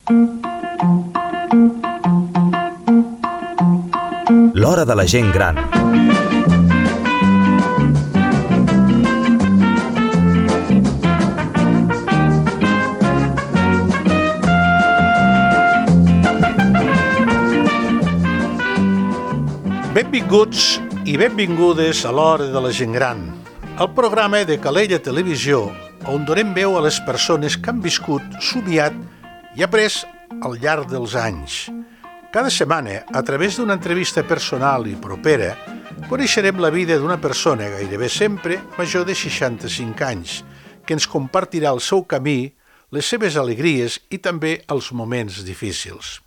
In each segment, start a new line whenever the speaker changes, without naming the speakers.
L'hora de la gent gran.
Benvinguts i benvingudes a l'Hora de la Gent Gran, el programa de Calella Televisió on donem veu a les persones que han viscut, somiat i après al llarg dels anys. Cada setmana, a través d'una entrevista personal i propera, coneixerem la vida d'una persona, gairebé sempre major de 65 anys, que ens compartirà el seu camí, les seves alegries i també els moments difícils.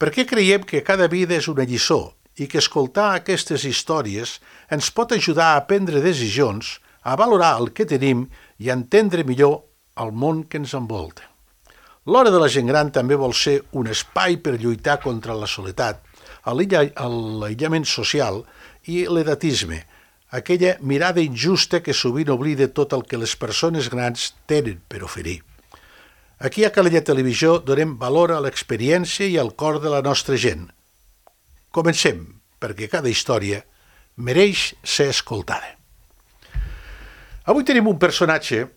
Perquè creiem que cada vida és una lliçó i que escoltar aquestes històries ens pot ajudar a prendre decisions, a valorar el que tenim i a entendre millor el món que ens envolta. L'Hora de la Gent Gran també vol ser un espai per lluitar contra la soledat, l'aïllament social i l'edatisme, aquella mirada injusta que sovint oblida tot el que les persones grans tenen per oferir. Aquí a Calella Televisió donem valor a l'experiència i al cor de la nostra gent. Comencem, perquè cada història mereix ser escoltada. Avui tenim un personatge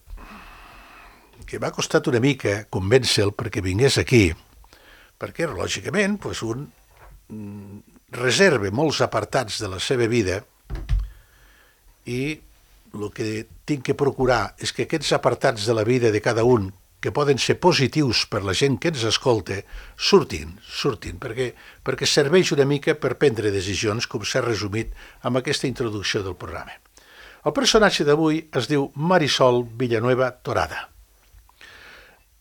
que m'ha costat una mica convèncer-lo perquè vingués aquí, perquè, lògicament, un reserva molts apartats de la seva vida i el que tinc que procurar és que aquests apartats de la vida de cada un que poden ser positius per la gent que ens escolta, surtin, perquè serveix una mica per prendre decisions, com s'ha resumit amb aquesta introducció del programa. El personatge d'avui es diu Marisol Villanueva Torada.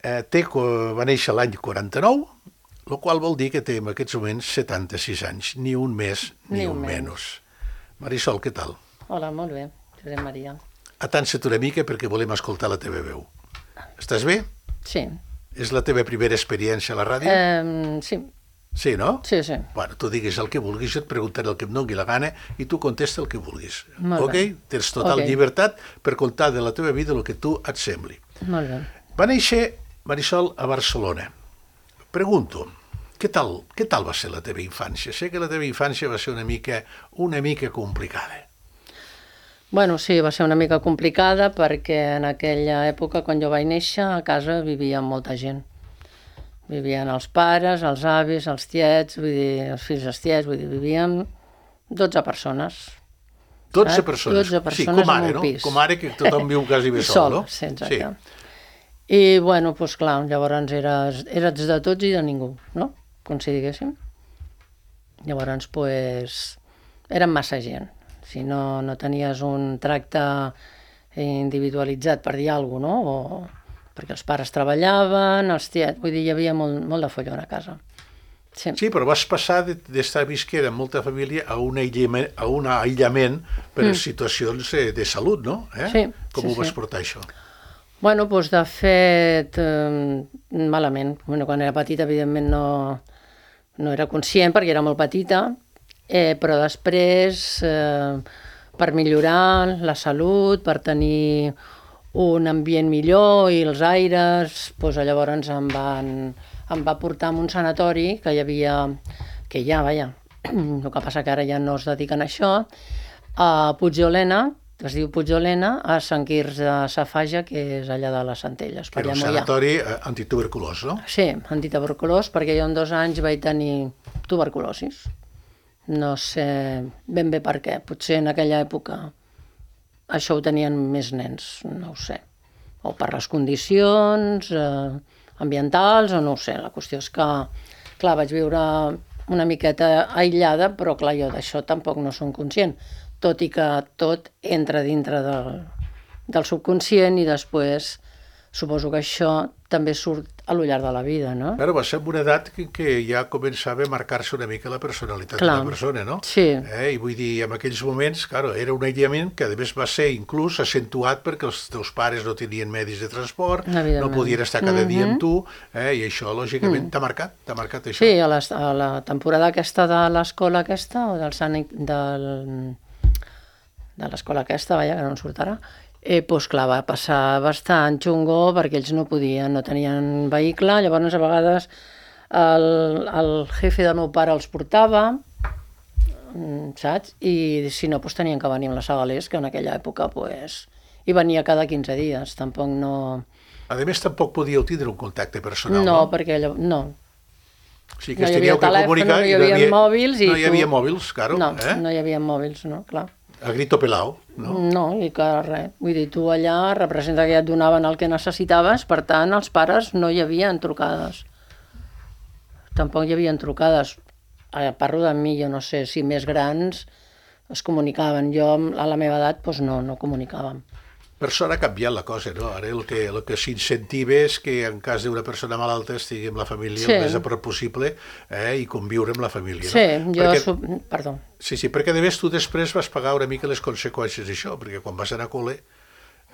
Va néixer l'any 49, el qual vol dir que té en aquests moments 76 anys, ni un més ni un menys. Marisol, què tal?
Hola, molt bé, Josep Maria.
Atansa't una mica perquè volem escoltar la teva veu. Estàs bé?
Sí.
És la teva primera experiència a la ràdio?
Sí.
Sí, no?
Sí.
Bueno, tu digues el que vulguis, jo et preguntaré el que em doni la gana i tu contesta el que vulguis.
Molt bé.
Tens total llibertat per contar de la teva vida el que tu et sembli.
Molt bé.
Va néixer Marisol a Barcelona. Pregunto, què tal va ser la teva infància? Sé que la teva infància va ser una mica complicada.
Bueno, sí, va ser una mica complicada perquè en aquella època, quan jo vaig néixer, a casa vivia molta gent. Vivien els pares, els avis, els tiets, els fills dels tiets, vivíem 12 persones.
12 persones?
12 persones,
sí, com ara,
en un pis.
Com ara que tothom viu quasi bé sol, no?
Sí, exacte. Sí. I, bueno, doncs clar, llavors eres de tots i de ningú, no? Com si diguéssim. Llavors, érem massa gent. Si no tenies un tracte individualitzat, per dir alguna cosa, no? Perquè els pares treballaven, els tiets, vull dir, hi havia molt de follon a casa.
Sí, però vas passar d'estar visquent amb molta família a un aïllament per situacions de salut, no?
Sí.
Com ho vas portar, això?
Bueno, doncs de fet, malament. Quan era petita, evidentment, no era conscient perquè era molt petita, però després, per millorar la salut, per tenir un ambient millor i els aires, llavors em va portar a un sanatori que hi ha, el que passa que ara ja no es dediquen a això, a Puigolena, que es diu Puigolena, a Sant Quirze de Safaja, que és allà de les Centelles.
Que era un sanatori antituberculós, no?
Sí, antituberculós, perquè jo en 2 anys vaig tenir tuberculosis. No sé ben bé per què. Potser en aquella època això ho tenien més nens, no ho sé. O per les condicions ambientals, o no ho sé. La qüestió és que, clar, vaig viure una miqueta aïllada, però clar, jo d'això tampoc no som conscient. Tot i que tot entra dintre del subconscient i després suposo que això també surt a lo llarg de la vida, no?
Però va ser en una edat que ja començava a marcar-se una mica la personalitat de la persona, no?
Sí.
I vull dir, en aquells moments, era un aïllament que a més va ser inclús accentuat perquè els teus pares no tenien medis de transport, no podien estar cada dia amb tu, i això, lògicament, t'ha marcat això.
Sí, a la temporada aquesta de l'escola aquesta, o de l'escola aquesta, que no en surt ara, Doncs clar, va passar bastant xungo perquè ells no podien, no tenien vehicle, llavors a vegades el jefe del meu pare els portava, saps? I si no, doncs tenien que venir amb les Segalers, que en aquella època hi venia cada 15 dies, tampoc no...
A més, tampoc podíeu tindre un contacte personal,
no? No, perquè no.
O sigui que es teníeu que comunicar...
No hi havia mòbils i
no hi havia mòbils, claro.
No, no hi havia mòbils, no, clar.
A grito pelao, no?
No, i que res. Vull dir, tu allà representa que ja et donaven el que necessitaves, per tant, els pares no hi havia trucades. Tampoc hi havia trucades. Parlo de mi, jo no sé si més grans es comunicaven. Jo, a la meva edat, doncs no comunicàvem.
Per sort ha canviat la cosa, no? Ara el que s'incentiva és que en cas d'una persona malalta estigui amb la família el més a prop possible i conviure amb la família, no?
Sí, perdó.
Sí, perquè a més tu després vas pagar una mica les conseqüències d'això, perquè quan vas anar a col·le,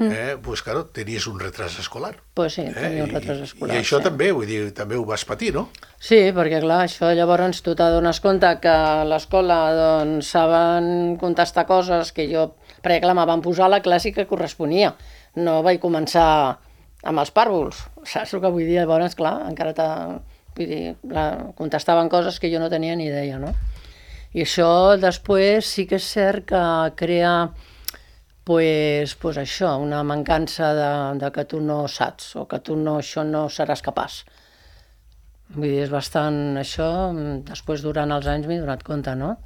doncs, clar, tenies un retras escolar.
Doncs sí, tenia un retras escolar.
I això també, vull dir, també ho vas patir, no?
Sí, perquè clar, això llavors tu t'adones compte que a l'escola doncs saben contestar coses que jo... Perquè clar, me van posar la classe que corresponia. No vaig començar amb els pàrvuls, saps el que vull dir? Llavors, clar, encara vull dir, contestaven coses que jo no tenia ni idea, no? I això després sí que és cert que crea pues això, una mancança de que tu no saps o que tu això no seràs capaç. Vull dir, és bastant això, després durant els anys m'he donat compte, no?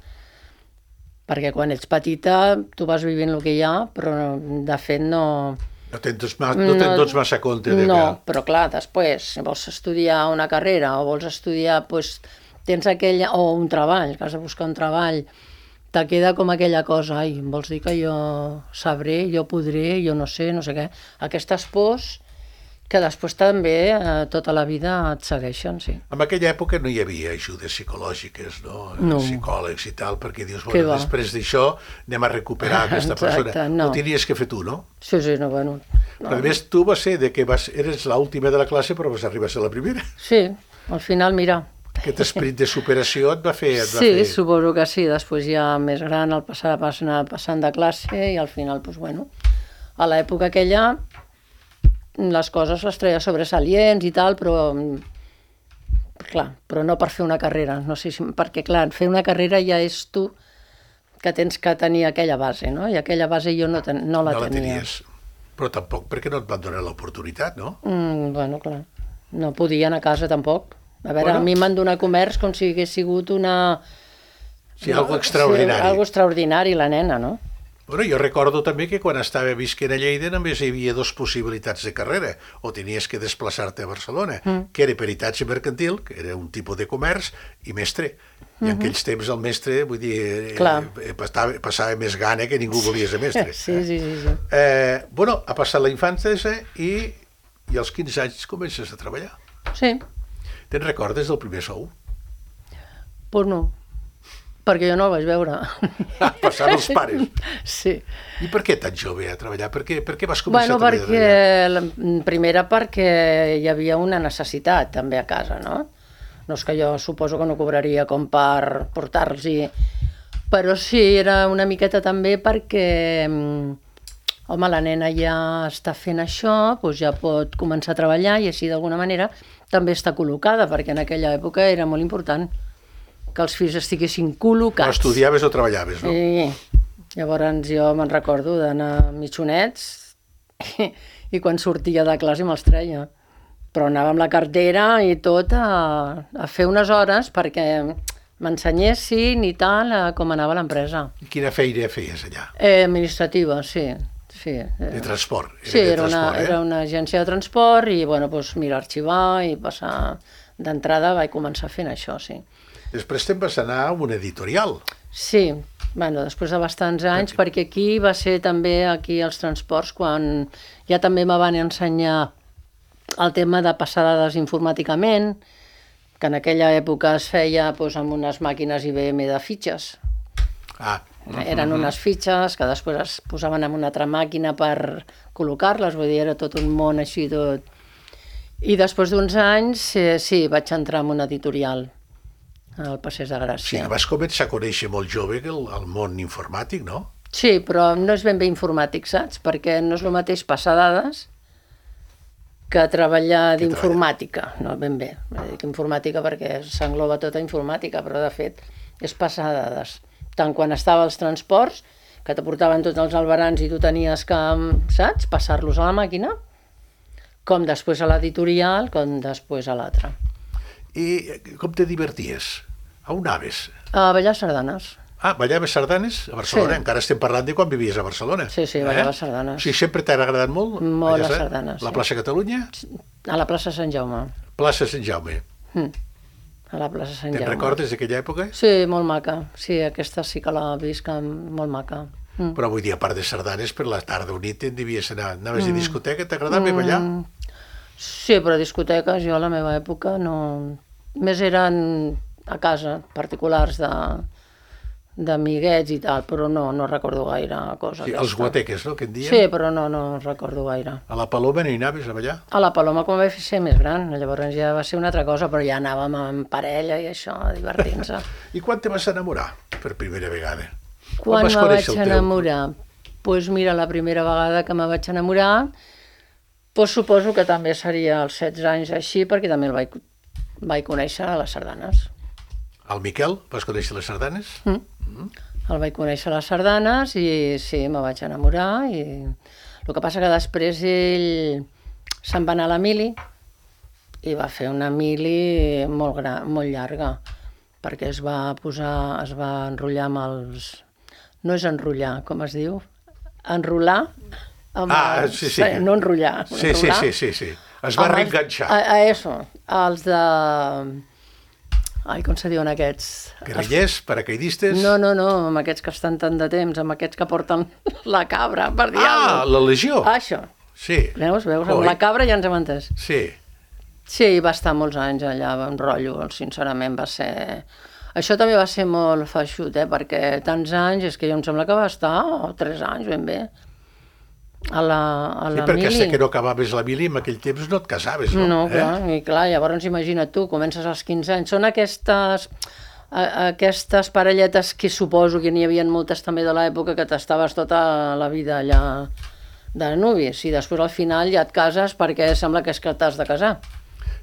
Perquè quan ets petita tu vas vivint el que hi ha, però de fet no...
No tens massa compte de que...
No, però clar, després, si vols estudiar una carrera o vols estudiar, doncs tens aquella... o un treball, que has de buscar un treball, te queda com aquella cosa, ai, vols dir que jo sabré, jo podré, jo no sé què. Aquestes pors que després també tota la vida et segueixen, sí.
En aquella època no hi havia ajudes psicològiques, no? Psicòlegs i tal, perquè dius, bueno, després d'això anem a recuperar aquesta persona. Ho tenies que fer tu, no?
Sí, no, bueno.
Però a més tu vas ser que eres l'última de la classe però vas arribar a ser la primera.
Sí, al final, mira.
Aquest esperit de superació et va fer...
Sí, suposo que sí. Després ja més gran el anar passant de classe i al final, doncs bueno, a l'època aquella les coses les treia sobresalients i tal, però no per fer una carrera, no sé si, perquè clar, fer una carrera ja és tu que tens que tenir aquella base, no? I aquella base jo no la tenia. No la tenies,
però tampoc perquè no et van donar l'oportunitat, no?
Bueno, clar, no podien a casa tampoc. A veure, a mi m'han donat comerç com si hagués sigut una...
Sí, algo extraordinari.
Sí, algo extraordinari, la nena, no?
Bueno, jo recordo també que quan estava visquent a Lleida només hi havia dues possibilitats de carrera. O tenies que desplaçar-te a Barcelona, que era peritatge mercantil, que era un tipus de comerç, i mestre. I en aquells temps el mestre, vull dir, passava més gana que ningú volia ser mestre.
Sí.
Bueno, ha passat la infantesa i als 15 anys comences a treballar.
Sí.
Te'n recordes del primer sou?
Pues no. Perquè jo no el vaig veure.
Passant els pares.
Sí.
I per què tan jove a treballar? Per què vas començar a treballar?
Primera perquè hi havia una necessitat també a casa, no? No és que jo suposo que no cobraria com per portar-los-hi, però sí, era una miqueta també perquè, home, la nena ja està fent això, doncs ja pot començar a treballar i així d'alguna manera també està col·locada, perquè en aquella època era molt important que els fills estiguessin col·locats.
O estudiaves o treballaves, no?
Sí. Llavors jo me'n recordo d'anar mitjonets i quan sortia de classe me'ls treia. Però anava amb la cartera i tot a fer unes hores perquè m'ensenyessin i tal com anava l'empresa.
I quina feina feies allà?
Administrativa, sí.
De transport?
Sí, era una agència de transport i, bueno, doncs mira, arxivar i passar d'entrada vaig començar fent això, sí.
Després te'n vas anar a un editorial.
Sí, bueno, després de bastants anys, perquè aquí va ser també aquí als transports quan ja també me van ensenyar el tema de passar dades informàticament, que en aquella època es feia doncs, amb unes màquines IBM de fitxes. Eren unes fitxes que després es posaven en una altra màquina per col·locar-les, vull dir, era tot un món així tot. I després d'uns anys, sí, vaig entrar en un editorial al Passeig de Gràcia.
Sí, vas començar a conèixer molt jove el món informàtic, no?
Sí, però no és ben bé informàtic, saps? Perquè no és el mateix passar dades que treballar d'informàtica, no ben bé. Dic informàtica perquè s'engloba tota informàtica, però de fet és passar dades. Tant quan estava als transports, que t'aportaven tots els albarans i tu tenies que, saps, passar-los a la màquina, com després a l'editorial, com després a l'altre.
I com te diverties? A on anaves?
A ballar sardanes.
Ah, ballaves sardanes a Barcelona?
Sí.
Encara estem parlant de quan vivies a Barcelona.
Sí, ballava sardanes.
Sí, sempre t'ha agradat molt?
Molt les sardanes,
La plaça Catalunya?
A la plaça Sant Jaume.
Plaça Sant Jaume.
A la plaça Sant Jaume.
Te'n recordes d'aquella època?
Sí, molt maca. Sí, aquesta sí que la visc molt maca.
Però vull dir, a part de sardanes, per la tarda o nit te'n devies anar. Anaves a discoteca, t'agradava ballar?
Sí, però discoteques jo a la meva època no... Més eren a casa, particulars d'amiguets i tal, però no recordo gaire cosa.
Sí, els guateques, no?, que en diem?
Sí, però no recordo gaire.
A la Paloma no hi anaves a ballar?
A la Paloma quan vaig ser més gran, llavors ja va ser una altra cosa, però ja anàvem en parella i això, divertint-se.
I quan te vas enamorar per primera vegada?
Quan me vaig enamorar? Doncs mira, la primera vegada que me vaig enamorar, doncs suposo que també seria als 16 anys així, perquè també el vaig conèixer a les sardanes.
El Miquel, vas conèixer les sardanes?
El vaig conèixer a les sardanes i sí, me vaig enamorar. I el que passa que després ell se'n va anar a la mili i va fer una mili molt llarga, perquè es va enrotllar amb els... No és enrotllar, com es diu? Enrolar?
Sí.
No enrotllar.
Sí. Es va reenganxar.
Eso, els de... Ai, com se diuen aquests?
Guerrillers, paracaidistes...
No, amb aquests que estan tant de temps, amb aquests que porten la cabra, per dir alguna cosa.
La Legió.
Això.
Sí.
Veus, amb la cabra ja ens hem entès.
Sí.
Sí, va estar molts anys allà, en rotllo, sincerament va ser... Això també va ser molt feixut, perquè tants anys, és que jo em sembla que va estar 3 anys ben bé. A la
sí, perquè
mili.
hasta que no acabaves la mili, en aquell temps no et casaves, no?
No, clar, llavors imagina't tu, comences als 15 anys, són aquestes parelletes que suposo que n'hi havia moltes també de l'època que t'estaves tota la vida allà de nuvis i després al final ja et cases perquè sembla que és que t'has de casar.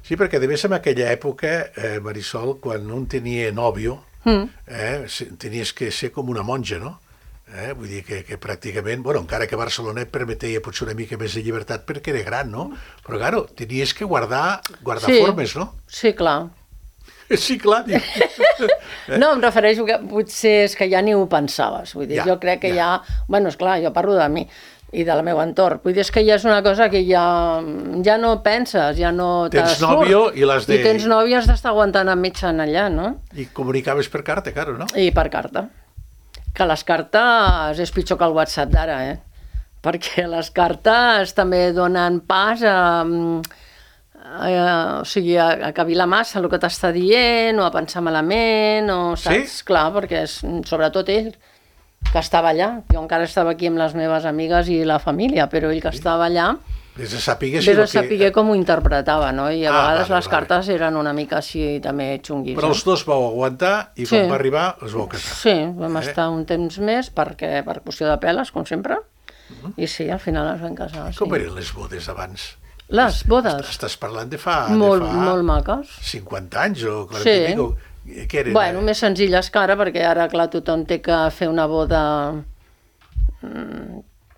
Sí, perquè de més en aquella època, Marisol, quan un tenia nòvio, tenies que ser com una monja, no? Vull dir que pràcticament, bueno, encara que Barcelona et permetia potser una mica més de llibertat perquè era gran, no? Però, claro, tenies que guardar formes, no?
Sí, clar.
Sí, clar.
No, em refereixo que potser és que ja ni ho pensaves. Vull dir, jo crec que ja... Bueno, esclar, jo parlo de mi i del meu entorn. Vull dir, és que ja és una cosa que ja no penses, ja no te surt.
Tens nòvio i l'has de...
I tens nòvio i has d'estar aguantant amb mitjan allà, no?
I comunicaves per carta, claro, no?
I per carta. Que les cartes és pitjor que el WhatsApp d'ara, perquè les cartes també donen pas a cavilar massa el que t'està dient, o a pensar malament, o saps? Sí? Clar, perquè és sobretot ell, que estava allà. Jo encara estava aquí amb les meves amigues i la família, però ell que estava allà... Vés a saber com ho interpretava, no? I a vegades les cartes eren una mica així també xunguis.
Però els dos vau aguantar i quan va arribar els vau casar.
Sí, vam estar un temps més per qüestió de peles, com sempre, i sí, al final es van casar.
Com eren les bodes abans?
Les bodes?
Estàs parlant de fa...
Molt maques.
50 anys o 40 i pico. Què eren?
Bueno, més senzilles que ara, perquè ara, clar, tothom té que fer una boda...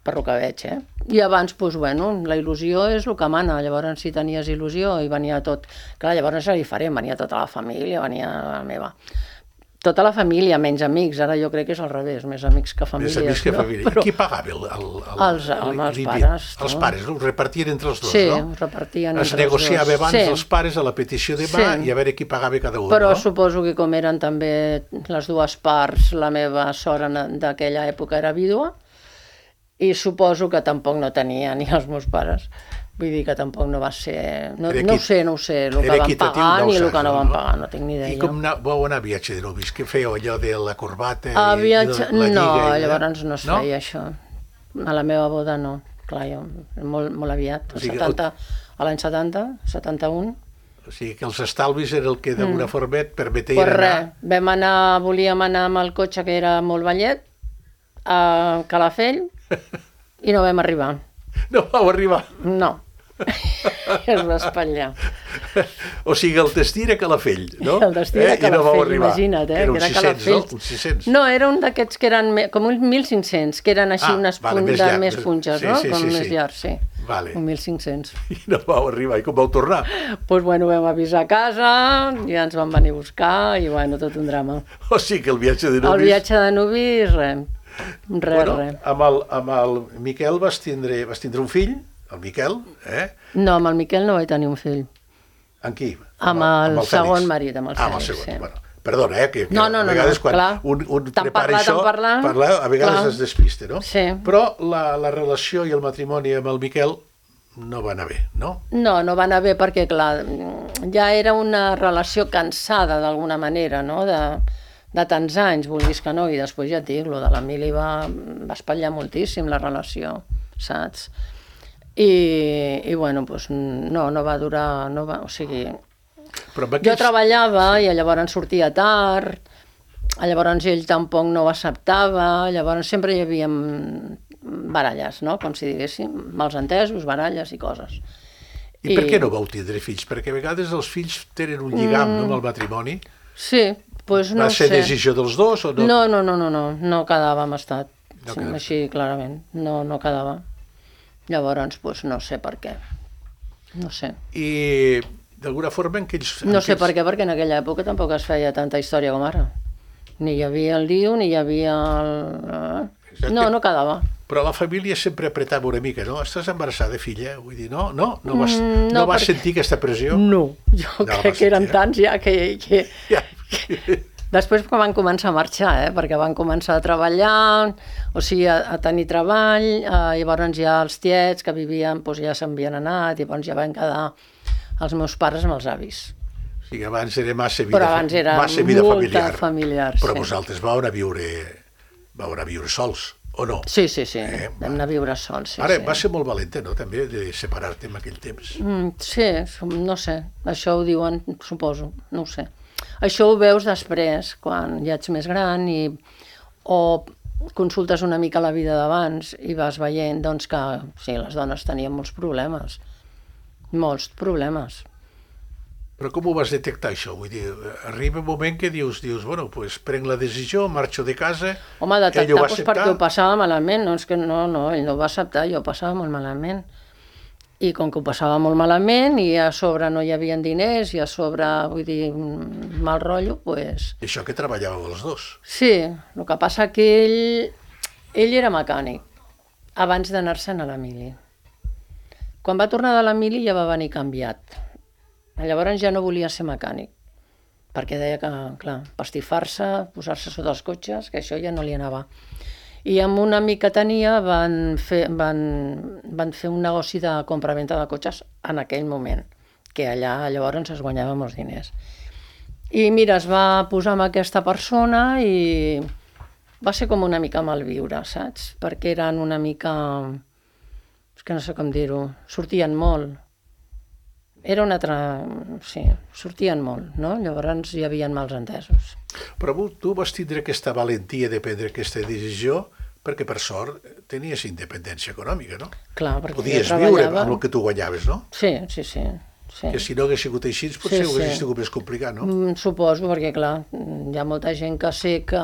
per lo que veig, I abans, doncs, bueno, la il·lusió és el que mana, llavors si tenies il·lusió i venia tot... Clar, llavors era diferent, venia tota la família, venia la meva... Tota la família, menys amics, ara jo crec que és al revés, més amics que famílies.
Més amics que família. Però... Qui pagava
els pares.
Els pares, ho repartien entre els dos,
no?
Sí,
ho repartien entre els dos.
Es negociava abans els pares a la petició de mà i a veure qui pagava cada un,
Però
no?
suposo que com eren també les dues parts, la meva sora d'aquella època era vídua, i suposo que tampoc no tenia ni els meus pares. Vull dir que tampoc no va ser... No ho sé, el que van pagar ni el que no van pagar, no tinc ni idea.
I com vau anar a viatge de novis? Què fèieu allò de la corbata i
la
lliga?
No, llavors no es feia això. A la meva boda no, clar, jo, molt aviat, a l'any 70, 71.
O sigui que els estalvis era el que d'alguna forma et permetia anar...
Volíem anar amb el cotxe que era molt vellet, a Calafell i no vam arribar.
No vau arribar.
No. Es va espatllar.
O sigui, el destí era Calafell, no?
El destí era
I no vau
Calafell,
arribar.
imagina't,
Era uns
que era
600,
Calafell.
no? Uns 600.
No, era un d'aquests que eren com uns 1.500, que eren així unes
més llarg.
més punxes,
Sí,
no?
sí,
Com
sí,
més
sí.
llarg, sí.
Vale.
Un 1.500.
I no vau arribar. I com vau tornar?
Doncs, bueno, vam avisar a casa, ja ens van venir a buscar i, bueno, tot un drama.
O sigui que el viatge de nuvis...
El viatge de nuvis, res.
Bueno, amb el Miquel vas tindre un fill, el Miquel, eh?
No, amb el Miquel no vaig tenir un fill.
Amb qui?
Amb el
Fèlix.
segon marit, amb el
amb el
Fèlix,
segon,
sí.
bueno. Perdona, que
No,
a vegades quan
clar.
un
Tant
prepara
parlar,
això,
tant parlar,
a vegades
clar.
es despiste, no?
Sí.
Però la relació i el matrimoni amb el Miquel no va anar bé, no?
No, no va anar bé perquè, clar, ja era una relació cansada d'alguna manera, no?, de tants anys, vulguis que no, i després ja et dic, lo de l'Emili va espatllar moltíssim la relació, saps? I bueno, doncs no va durar, o sigui...
Però
Jo treballava i llavors sortia tard, llavors ell tampoc no ho acceptava, llavors sempre hi havia baralles, no?, com si diguéssim, malentesos, baralles i coses.
I per què no vau tindre fills? Perquè a vegades els fills tenen un lligam, no?, amb el matrimoni.
Sí, doncs no
Va
sé.
ser decisió dels dos o no?
No quedava amb estat,
No quedava.
així clarament, no quedava. Llavors, doncs no sé per què, no sé.
I d'alguna forma en aquells...
No sé per què, perquè en aquella època tampoc es feia tanta història com ara. Ni hi havia el diu, ni hi havia el... No quedava.
Però la família sempre apretava una mica, no? Estàs embarassada, filla? Vull dir, no vas sentir aquesta pressió?
No, jo crec que eren tants ja que...
Ja.
Després quan van començar a marxar, perquè van començar a treballar, o sigui, a tenir treball, llavors ja els tiets que vivien doncs ja s'havien anat, llavors ja van quedar els meus pares amb els avis.
O sigui, abans era massa vida,
Però abans era molta familiar.
Però
sí.
vosaltres vau anar a viure sols, o no?
Sí. Vam anar a viure sols. Sí,
Ara,
sí.
va ser molt valenta, no?, també, de separar-te en aquell temps.
Sí, no sé, això ho diuen, suposo, no ho sé. Això ho veus després, quan ja ets més gran o consultes una mica la vida d'abans i vas veient doncs, que sí, les dones tenien molts problemes.
Però com ho vas detectar, això? Vull dir, arriba un moment que dius, bueno, doncs prenc la decisió, marxo de casa...
Home, detectar,
ell ho va
doncs,
acceptar.
perquè ho passava malament, no, és que no, ell no ho va acceptar, jo ho passava molt malament. I com que ho passava molt malament, i a sobre no hi havia diners, i a sobre, vull dir, mal rotllo, doncs...
I això que treballàveu els dos.
Sí, el que passa que ell era mecànic, abans d'anar-se'n a l'Emili. Quan va tornar de l'Emili ja va venir canviat. Llavors ja no volia ser mecànic, perquè deia que, clar, pastifar-se, posar-se sota els cotxes, que això ja no li anava. I amb un amic que tenia van fer un negoci de compra-venta de cotxes en aquell moment, que allà llavors es guanyava molts diners. I mira, es va posar amb aquesta persona i va ser com una mica malviure, saps? Perquè eren una mica... és que no sé com dir-ho, sortien molt. Era una altra... sí, sortien molt, no? Llavors hi havia mals entesos.
Però tu vas tindre aquesta valentia de prendre aquesta decisió perquè, per sort, tenies independència econòmica, no?
Clar, perquè
podies
jo treballava...
viure amb el que tu guanyaves, no?
Sí.
Que si no hagués sigut així, potser ho hagués sigut més complicat, no?
Suposo, perquè, clar, hi ha molta gent que sé que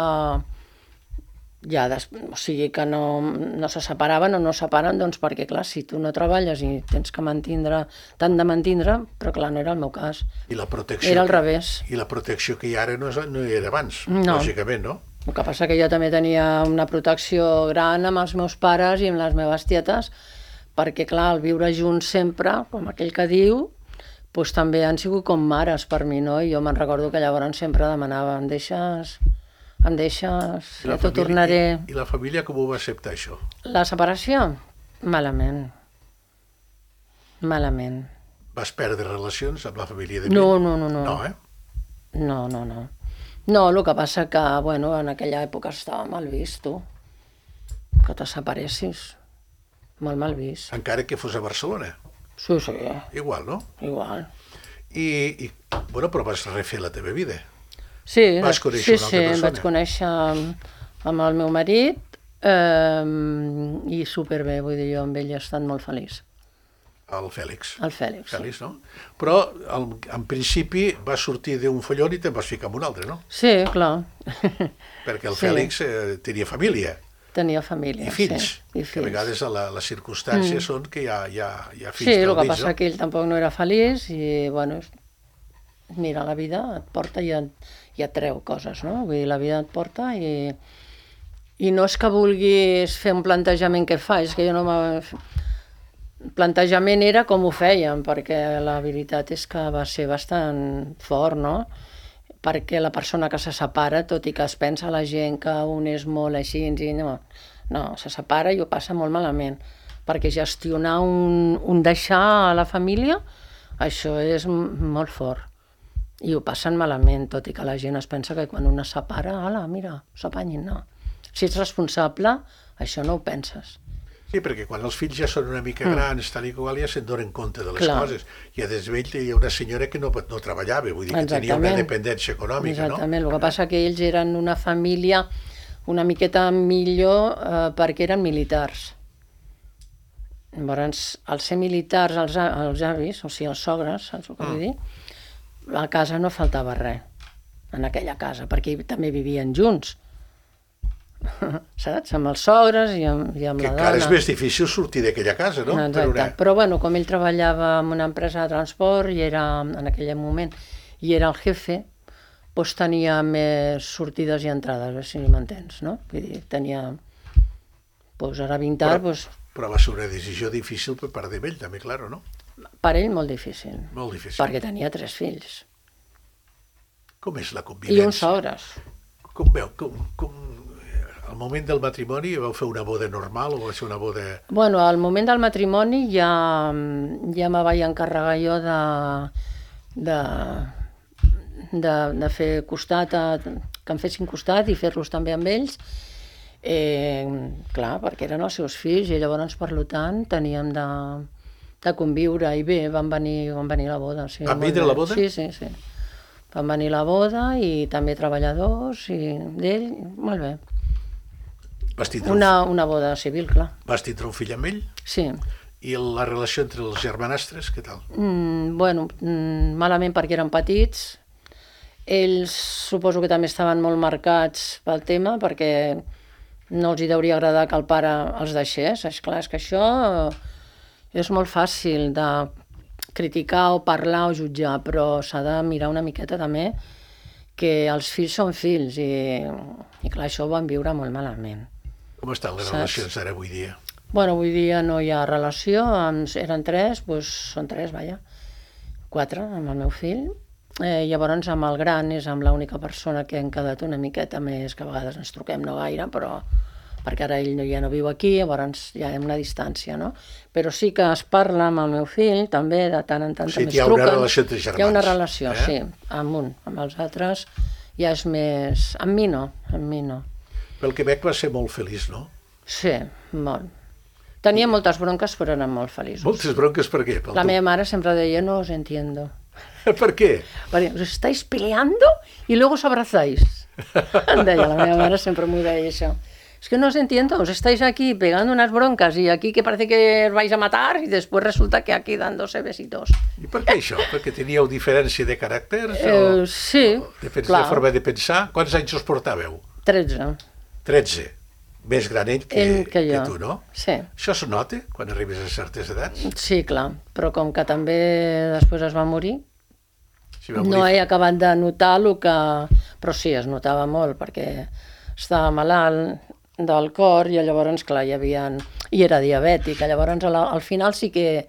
ja, o sigui, que no se separaven o no separen, doncs perquè, clar, si tu no treballes i tens que t'han de mantindre, però, clar, no era el meu cas.
I la protecció
era al revés.
I la protecció que hi ha ara no hi era abans,
no.
Lògicament, no?
El que passa que jo també tenia una protecció gran amb els meus pares i amb les meves tietes, perquè, clar, el viure junts sempre, com aquell que diu, doncs també han sigut com mares per mi, no? I jo me'n recordo que llavors sempre demanava, em deixes, ja t'ho tornaré.
I la família com ho va acceptar, això?
La separació? Malament.
Vas perdre relacions amb la família de mi?
No.
No, eh?
No. No, el que passa que, bueno, en aquella època estava mal vist, tu, que te separessis. Molt mal vist.
Encara que fos a Barcelona?
Sí.
Igual, no?
Igual.
I bueno, però vas refer la teva vida.
Sí,
vas conèixer una altra persona.
Vaig conèixer amb el meu marit, I superbé, vull dir, jo amb ell he estat molt feliç.
El Fèlix.
El Fèlix,
Fèlix, no? Però en principi va sortir d'un follon i te'n vas ficar en un altre, no?
Sí, clar.
Perquè el
Sí.
Fèlix tenia família
Tenia família,
i fills,
sí. I
que a vegades les circumstàncies són que hi ha fills
Sí, el
pel
que
mig,
passa
no?
que ell tampoc no era feliç i, bueno, mira, la vida et porta i et treu coses, no? Vull dir, la vida et porta i no és que vulguis fer un plantejament que fa, és que jo no plantejament era com ho fèiem, perquè la veritat és que va ser bastant fort, no? Perquè la persona que se separa, tot i que es pensa la gent que un és molt així, i no, se separa i ho passa molt malament, perquè gestionar un deixar a la família, això és molt fort, i ho passen malament, tot i que la gent es pensa que quan un es separa, ala, mira, s'apanyin, no. Si ets responsable, això no ho penses.
Sí, perquè quan els fills ja són una mica grans, tal i qual, ja se'n donen compte de les
Clar.
coses. I a desvell hi ha una senyora que no treballava, vull dir que tenia una dependència econòmica,
Exactament, el que passa que ells eren una família una miqueta millor perquè eren militars. Llavors, al ser militars, els avis, o sigui, els sogres, saps el que vull dir? A casa no faltava res, en aquella casa, perquè també vivien junts. Saps? Amb els sogres i amb la
Que
dona.
encara és més difícil sortir d'aquella casa, no?
Exacte. Però bueno, com ell treballava en una empresa de transport i era, en aquell moment, i era el jefe, doncs tenia més sortides i entrades, si m'entens, no? Vull dir, tenia, doncs ara 20 anys,
Però va ser una decisió difícil per part d'ell, també, claro, no?
per ell molt difícil.
Molt difícil.
Perquè tenia 3 fills.
Com és la
I
convivència?
uns sogres.
Com veu? Al moment del matrimoni vau fer una boda normal o va ser una boda...
Bueno, al moment del matrimoni ja me vaig encarregar jo de fer costat, que em fessin costat i fer-los també amb ells. Clar, perquè eren els seus fills i llavors, per tant, teníem de conviure i bé, van venir a la boda. Sí,
Van vindre a la boda?
Sí. Van venir a la boda i també treballadors i d'ell, molt bé.
Vas tindre
Una boda civil, clar.
Vas tindre un fill amb ell?
Sí.
I la relació entre els germanastres, què tal?
Bueno, malament perquè eren petits. Ells suposo que també estaven molt marcats pel tema, perquè no els hi deuria agradar que el pare els deixés. Esclar, és que això és molt fàcil de criticar o parlar o jutjar, però s'ha de mirar una miqueta també que els fills són fills i clar, això ho van viure molt malament.
Com estan les relacions ara avui dia?
Bueno, avui dia no hi ha relació, eren 3, doncs són 3, vaja, 4 amb el meu fill. Llavors amb el gran és amb l'única persona que hem quedat una miqueta més, que a vegades ens truquem no gaire, però perquè ara ell ja no viu aquí, llavors ja hi ha una distància, no? Però sí que es parla amb el meu fill, també, de tant en tant també es truquen.
Hi ha una relació entre germans.
Hi ha una relació, sí, amb els altres ja és més... Amb mi no.
Pel Quebec va ser molt feliç, no?
Sí, molt. Tenia moltes bronques, però eren molt feliços.
Moltes bronques per què?
La meva mare sempre deia, no os entiendo.
Per què?
Perquè os estáis peleando y luego os abrazáis. Em deia, la meva mare sempre m'ho deia això. Es que no os entiendo, os estáis aquí pegando unas broncas y aquí que parece que os vais a matar y después resulta que aquí dándose besitos.
I per què això? Perquè teníeu diferència de caràcters?
Sí,
De forma de pensar? Quants anys us portàveu?
13.
13. Més gran ell que tu, no?
Sí.
Això es nota quan arribes a certes edats?
Sí, clar, però com que també després es va morir,
Si va morir...
no he acabat de notar el que... Però sí, es notava molt, perquè estava malalt del cor i llavors, clar, i era diabètic. Llavors, al final sí que,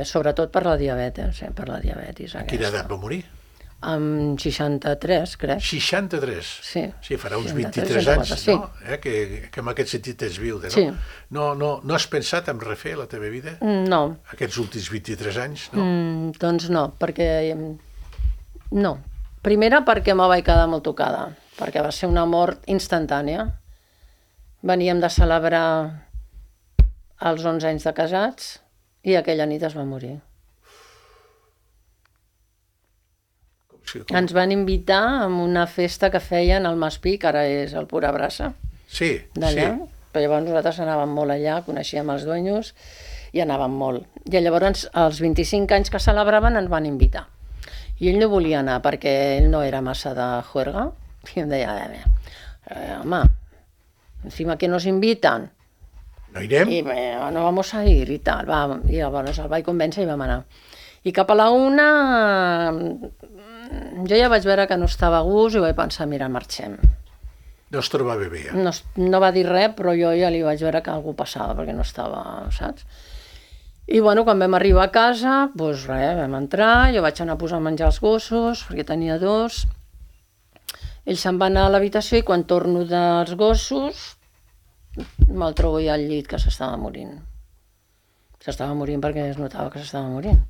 sobretot per la diabetis, aquesta.
A quina edat va morir?
Amb 63, crec.
63?
Sí.
Sí, farà uns
63,
23 anys,
64, sí.
no? Que en aquest sentit ets viuda, no?
Sí.
No has pensat en refer la teva vida?
No.
Aquests últims 23 anys, no?
Doncs no, perquè... No. Primera perquè me vaig quedar molt tocada, perquè va ser una mort instantània. Veníem de celebrar els 11 anys de casats i aquella nit es va morir. Ens van invitar a una festa que feien al Maspí, que ara és el Pura Brasa.
Sí,
d'allà.
sí.
Però llavors nosaltres anàvem molt allà, coneixíem els dueños i anàvem molt. I llavors, als 25 anys que celebraven, ens van invitar. I ell no volia anar perquè ell no era massa de juerga. I em deia, home, encima que nos invitan,
No irem?
y no vamos a ir y tal. Va, i llavors el vaig convèncer i vam anar. I cap a la 1 jo ja vaig veure que no estava a gust i vaig pensar, mira, marxem.
No es trobava bé, ja.
No va dir res, però jo ja li vaig veure que algú passava perquè no estava, saps? I bueno, quan vam arribar a casa, doncs res, vam entrar, jo vaig anar a posar a menjar els gossos, perquè tenia 2. Ell se'n va anar a l'habitació i quan torno dels gossos me'l trobo ja al llit que s'estava morint. S'estava morint perquè es notava que s'estava morint.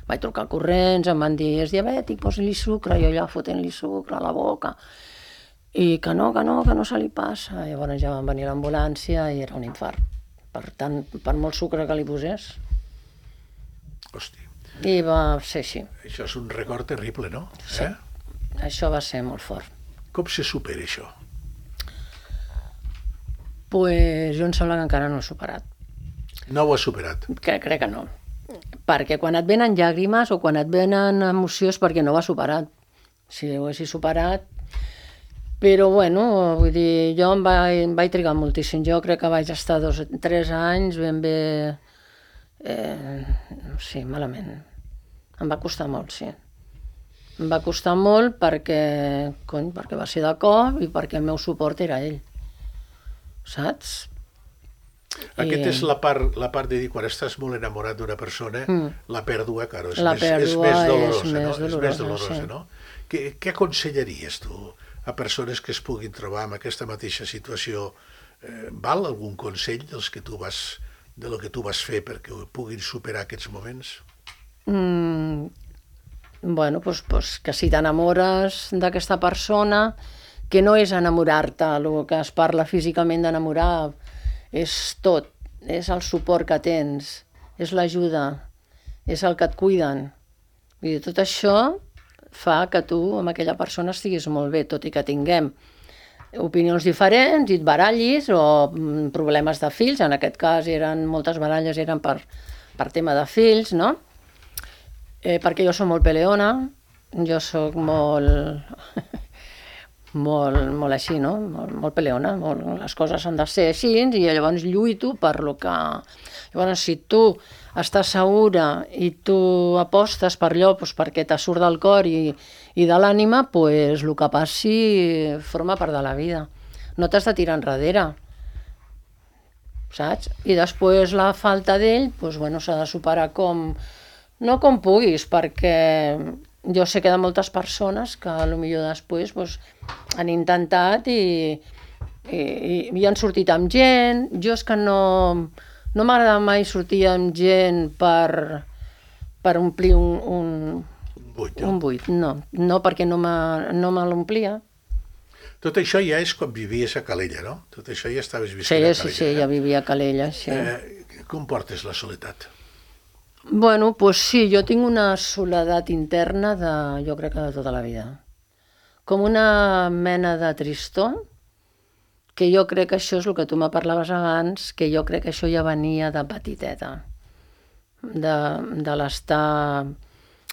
Vaig trucar corrents, em van dir, és diabètic, posi-li sucre, jo allà fotent-li sucre a la boca. I que no se li passa. Llavors ja van venir a l'ambulància i era un infart. Per molt sucre que li posés.
Hosti,
I va ser així.
això és un record terrible, no?
Sí. Això va ser molt fort.
Com se supera això?
Pues jo em sembla que encara no ho he superat.
No ho has superat.
Crec que no. Perquè quan et venen llàgrimes o quan et venen emocions perquè no ho has superat. Si ho haguessis superat... Però bueno, vull dir, jo em vaig trigar moltíssim. Jo crec que vaig estar 2 o 3 anys ben bé... sí, malament. Em va costar molt, sí. Em va costar molt perquè va ser de cop i perquè el meu suport era ell. Saps?
Aquesta és la part de dir, quan estàs molt enamorat d'una persona, la pèrdua, claro, és més dolorosa, no? Què aconsellaries tu a persones que es puguin trobar en aquesta mateixa situació? Val algun consell de lo que tu vas fer perquè ho puguin superar aquests moments?
Bueno, doncs que si t'enamores d'aquesta persona, que no és enamorar-te, el que es parla físicament d'enamorar, és tot, és el suport que tens, és l'ajuda, és el que et cuiden. Vull dir, tot això fa que tu amb aquella persona estiguis molt bé, tot i que tinguem opinions diferents i et barallis o problemes de fills, en aquest cas moltes baralles eren per tema de fills, no? Perquè jo soc molt peleona, jo soc molt així, no? Molt peleona, les coses han de ser així i llavors lluito per lo que... Llavors, si tu estàs segura i tu apostes per allò perquè te surt del cor i de l'ànima, doncs el que passi forma part de la vida. No t'has de tirar enrere, saps? I després la falta d'ell, doncs bueno, s'ha de superar no com puguis, perquè jo sé que de moltes persones que potser després han intentat i han sortit amb gent. Jo és que no m'agrada mai sortir amb gent per omplir un buit. No, perquè no me l'omplia.
Tot això ja és quan vivies a Calella, no? Tot això ja estaves visquent a Calella.
Sí, ja vivia a Calella, sí.
Com portes la soledat?
Bueno, doncs sí, jo tinc una soledat interna jo crec que de tota la vida. Com una mena de tristor, que jo crec que això és el que tu me parlaves abans, que jo crec que això ja venia de petiteta, de l'estar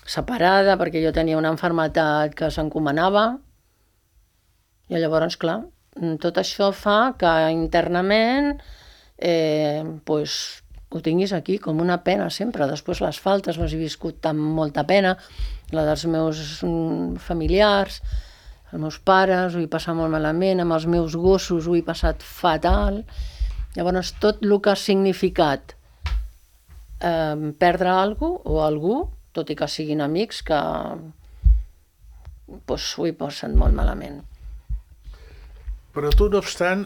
separada, perquè jo tenia una malaltia que s'encomanava, i llavors, clar, tot això fa que internament ho tinguis aquí com una pena sempre. Després les faltes les he viscut amb molta pena, la dels meus familiars, els meus pares ho he passat molt malament, amb els meus gossos ho he passat fatal. Llavors tot el que ha significat perdre alguna cosa o algú, tot i que siguin amics, que ho he passat molt malament.
Però tu, no obstant,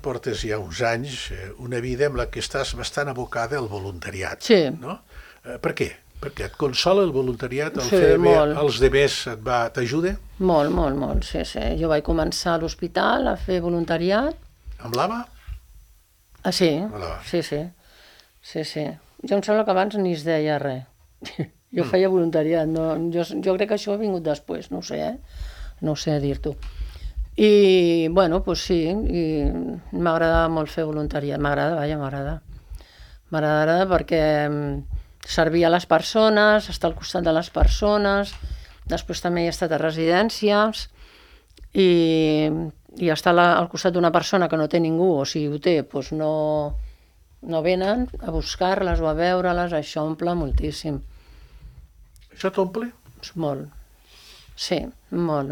portes ja uns anys, una vida en la que estàs bastant abocada al voluntariat.
Sí.
No? Per què? Perquè et consola el voluntariat,
Sí, molt.
Els demés t'ajuda?
Molt, sí. Jo vaig començar a l'hospital a fer voluntariat.
Amb l'AVA?
Sí.
Amb l'AVA.
Sí. Jo em sembla que abans ni es deia res. Jo feia voluntariat, jo crec que això ha vingut després, no ho sé, no ho sé dir-t'ho. I, bueno, doncs sí, i m'agrada molt fer voluntariat, m'agrada. M'agrada perquè servir a les persones, estar al costat de les persones, després també he estat a residències i estar al costat d'una persona que no té ningú, o si ho té, doncs no venen a buscar-les o a veure-les, això omple moltíssim.
Això t'omple?
Molt. Sí, molt.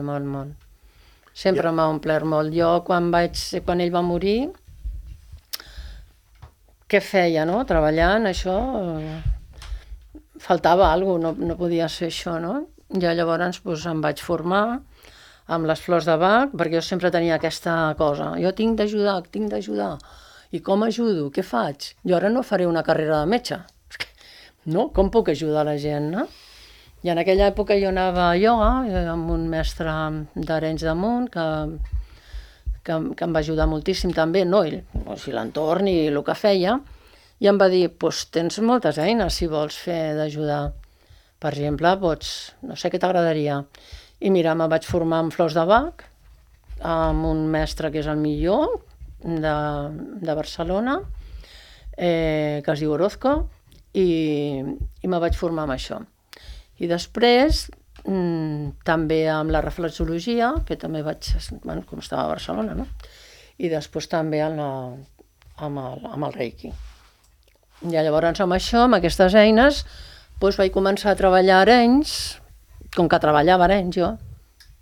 Sempre m'ha omplert molt. Jo, quan ell va morir, què feia, no? Treballant, això... Faltava alguna cosa, no podia ser això, no? Ja llavors em vaig formar amb les flors de Bach, perquè jo sempre tenia aquesta cosa. Jo tinc d'ajudar. I com ajudo? Què faig? Jo ara no faré una carrera de metge. No? Com puc ajudar la gent, no? I en aquella època jo anava a ioga amb un mestre d'Arenys de Munt que em va ajudar moltíssim també, no? O sigui, l'entorn i el que feia. I em va dir, doncs tens moltes eines si vols fer d'ajudar. Per exemple, no sé què t'agradaria. I mira, me vaig formar amb flors de Bach, amb un mestre que és el millor de Barcelona, que es diu Orozco, i me vaig formar amb això. I després, també amb la reflexologia, que també com estava a Barcelona, no? I després també amb el Reiki. I llavors amb això, amb aquestes eines, doncs vaig començar a treballar a Arenys, com que treballava a Arenys jo,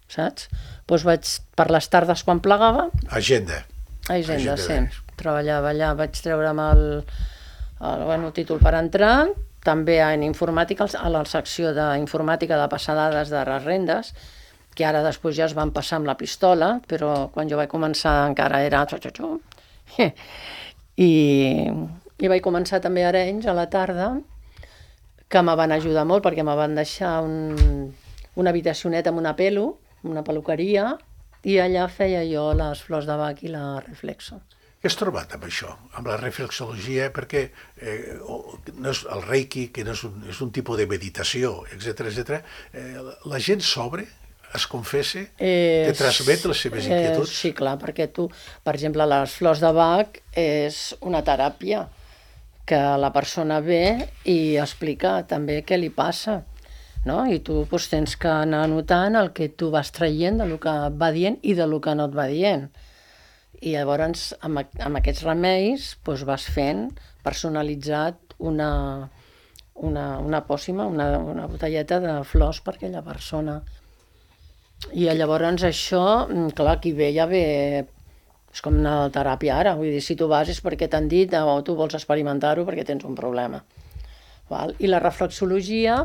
saps? Doncs vaig, per les tardes quan plegava...
Agenda,
sí. Treballava allà, vaig treure'm el títol per entrar, també en informàtica, a la secció d'informàtica de passar dades de les rendes, que ara després ja es van passar amb la pistola, però quan jo vaig començar encara era... I vaig començar també a Arenys a la tarda, que me van ajudar molt perquè me van deixar una habitacioneta amb una peluqueria, i allà feia jo les flors de Bach i la reflexo.
Què has trobat amb això, amb la reflexologia? Perquè no és el Reiki, que no és un tipus de meditació, etc. La gent s'obre, es confessa, te transmet les seves inquietuds?
Sí, clar, perquè tu, per exemple, les flors de Bach és una teràpia que la persona ve i explica també què li passa, no? I tu tens que anar anotant el que tu vas traient del que et va dient i del que no et va dient. I llavors, amb aquests remeis, vas fent personalitzat una pòssima, una botelleta de flors per aquella persona. I llavors això, clar, qui ve ja ve... És com una teràpia ara, vull dir, si tu vas és perquè t'han dit o tu vols experimentar-ho perquè tens un problema. I la reflexologia,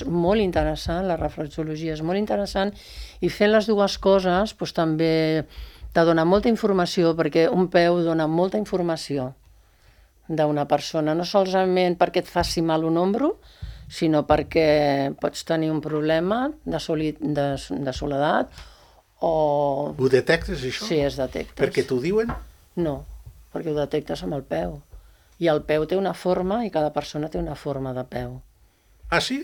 molt interessant, la reflexologia és molt interessant, i fent les dues coses també te dona molta informació, perquè un peu dona molta informació d'una persona, no solament perquè et faci mal un ombro, sinó perquè pots tenir un problema de soledat, o...
Ho detectes, això?
Sí, es detectes.
Perquè t'ho diuen?
No, perquè ho detectes amb el peu. I el peu té una forma i cada persona té una forma de peu.
Ah, sí?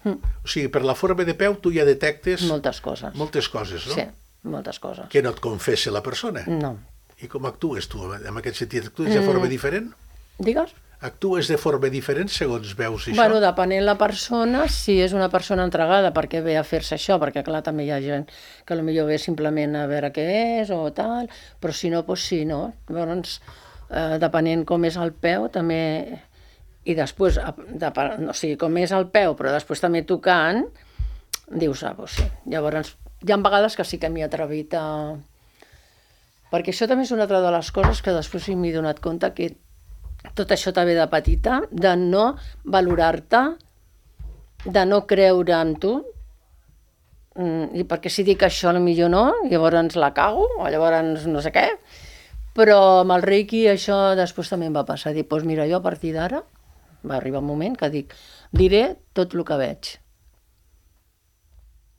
O sigui, per la forma de peu tu ja detectes...
Moltes coses.
Moltes coses, no?
Sí, moltes coses.
Que no et confessa la persona?
No.
I com actues tu, en aquest sentit? Actues de forma diferent?
Digues?
Actues de forma diferent segons veus això?
Bueno, depenent la persona, si és una persona entregada perquè ve a fer-se això, perquè clar, també hi ha gent que potser ve simplement a veure què és o tal, però si no, doncs sí, no? Llavors, depenent com és el peu, també... I després, o sigui, com és el peu, però després també tocant, dius, doncs sí. Llavors, hi ha vegades que sí que m'hi he atrevit a... Perquè això també és una altra de les coses que després m'he donat compte que tot això també de petita, de no valorar-te, de no creure en tu, i perquè si dic això potser no, llavors la cago, o llavors no sé què, però amb el Reiki això després també em va passar, dir, doncs mira, jo a partir d'ara, va arribar un moment que dic, diré tot el que veig.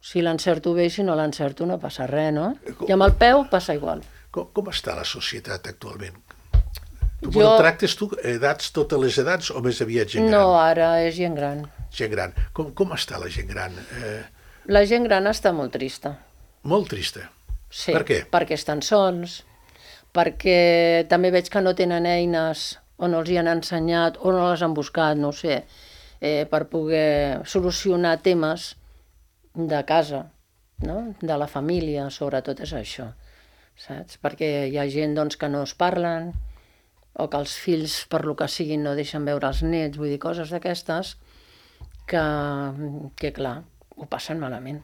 Si l'encerto bé, si no l'encerto no passa res, no? I amb el peu passa igual.
Com està la societat actualment? Tu tractes tu edats, totes les edats, o més aviat gent gran?
No, ara és gent gran.
Gent gran. Com està la gent gran?
La gent gran està molt trista.
Molt trista?
Sí,
Per què?
perquè estan sols, perquè també veig que no tenen eines o no els hi han ensenyat o no les han buscat, no ho sé, per poder solucionar temes de casa, no? De la família, sobretot és això, saps? Perquè hi ha gent doncs, que no es parlen o que els fills, per lo que siguin, no deixen veure els nets, vull dir, coses d'aquestes que clar, ho passen malament.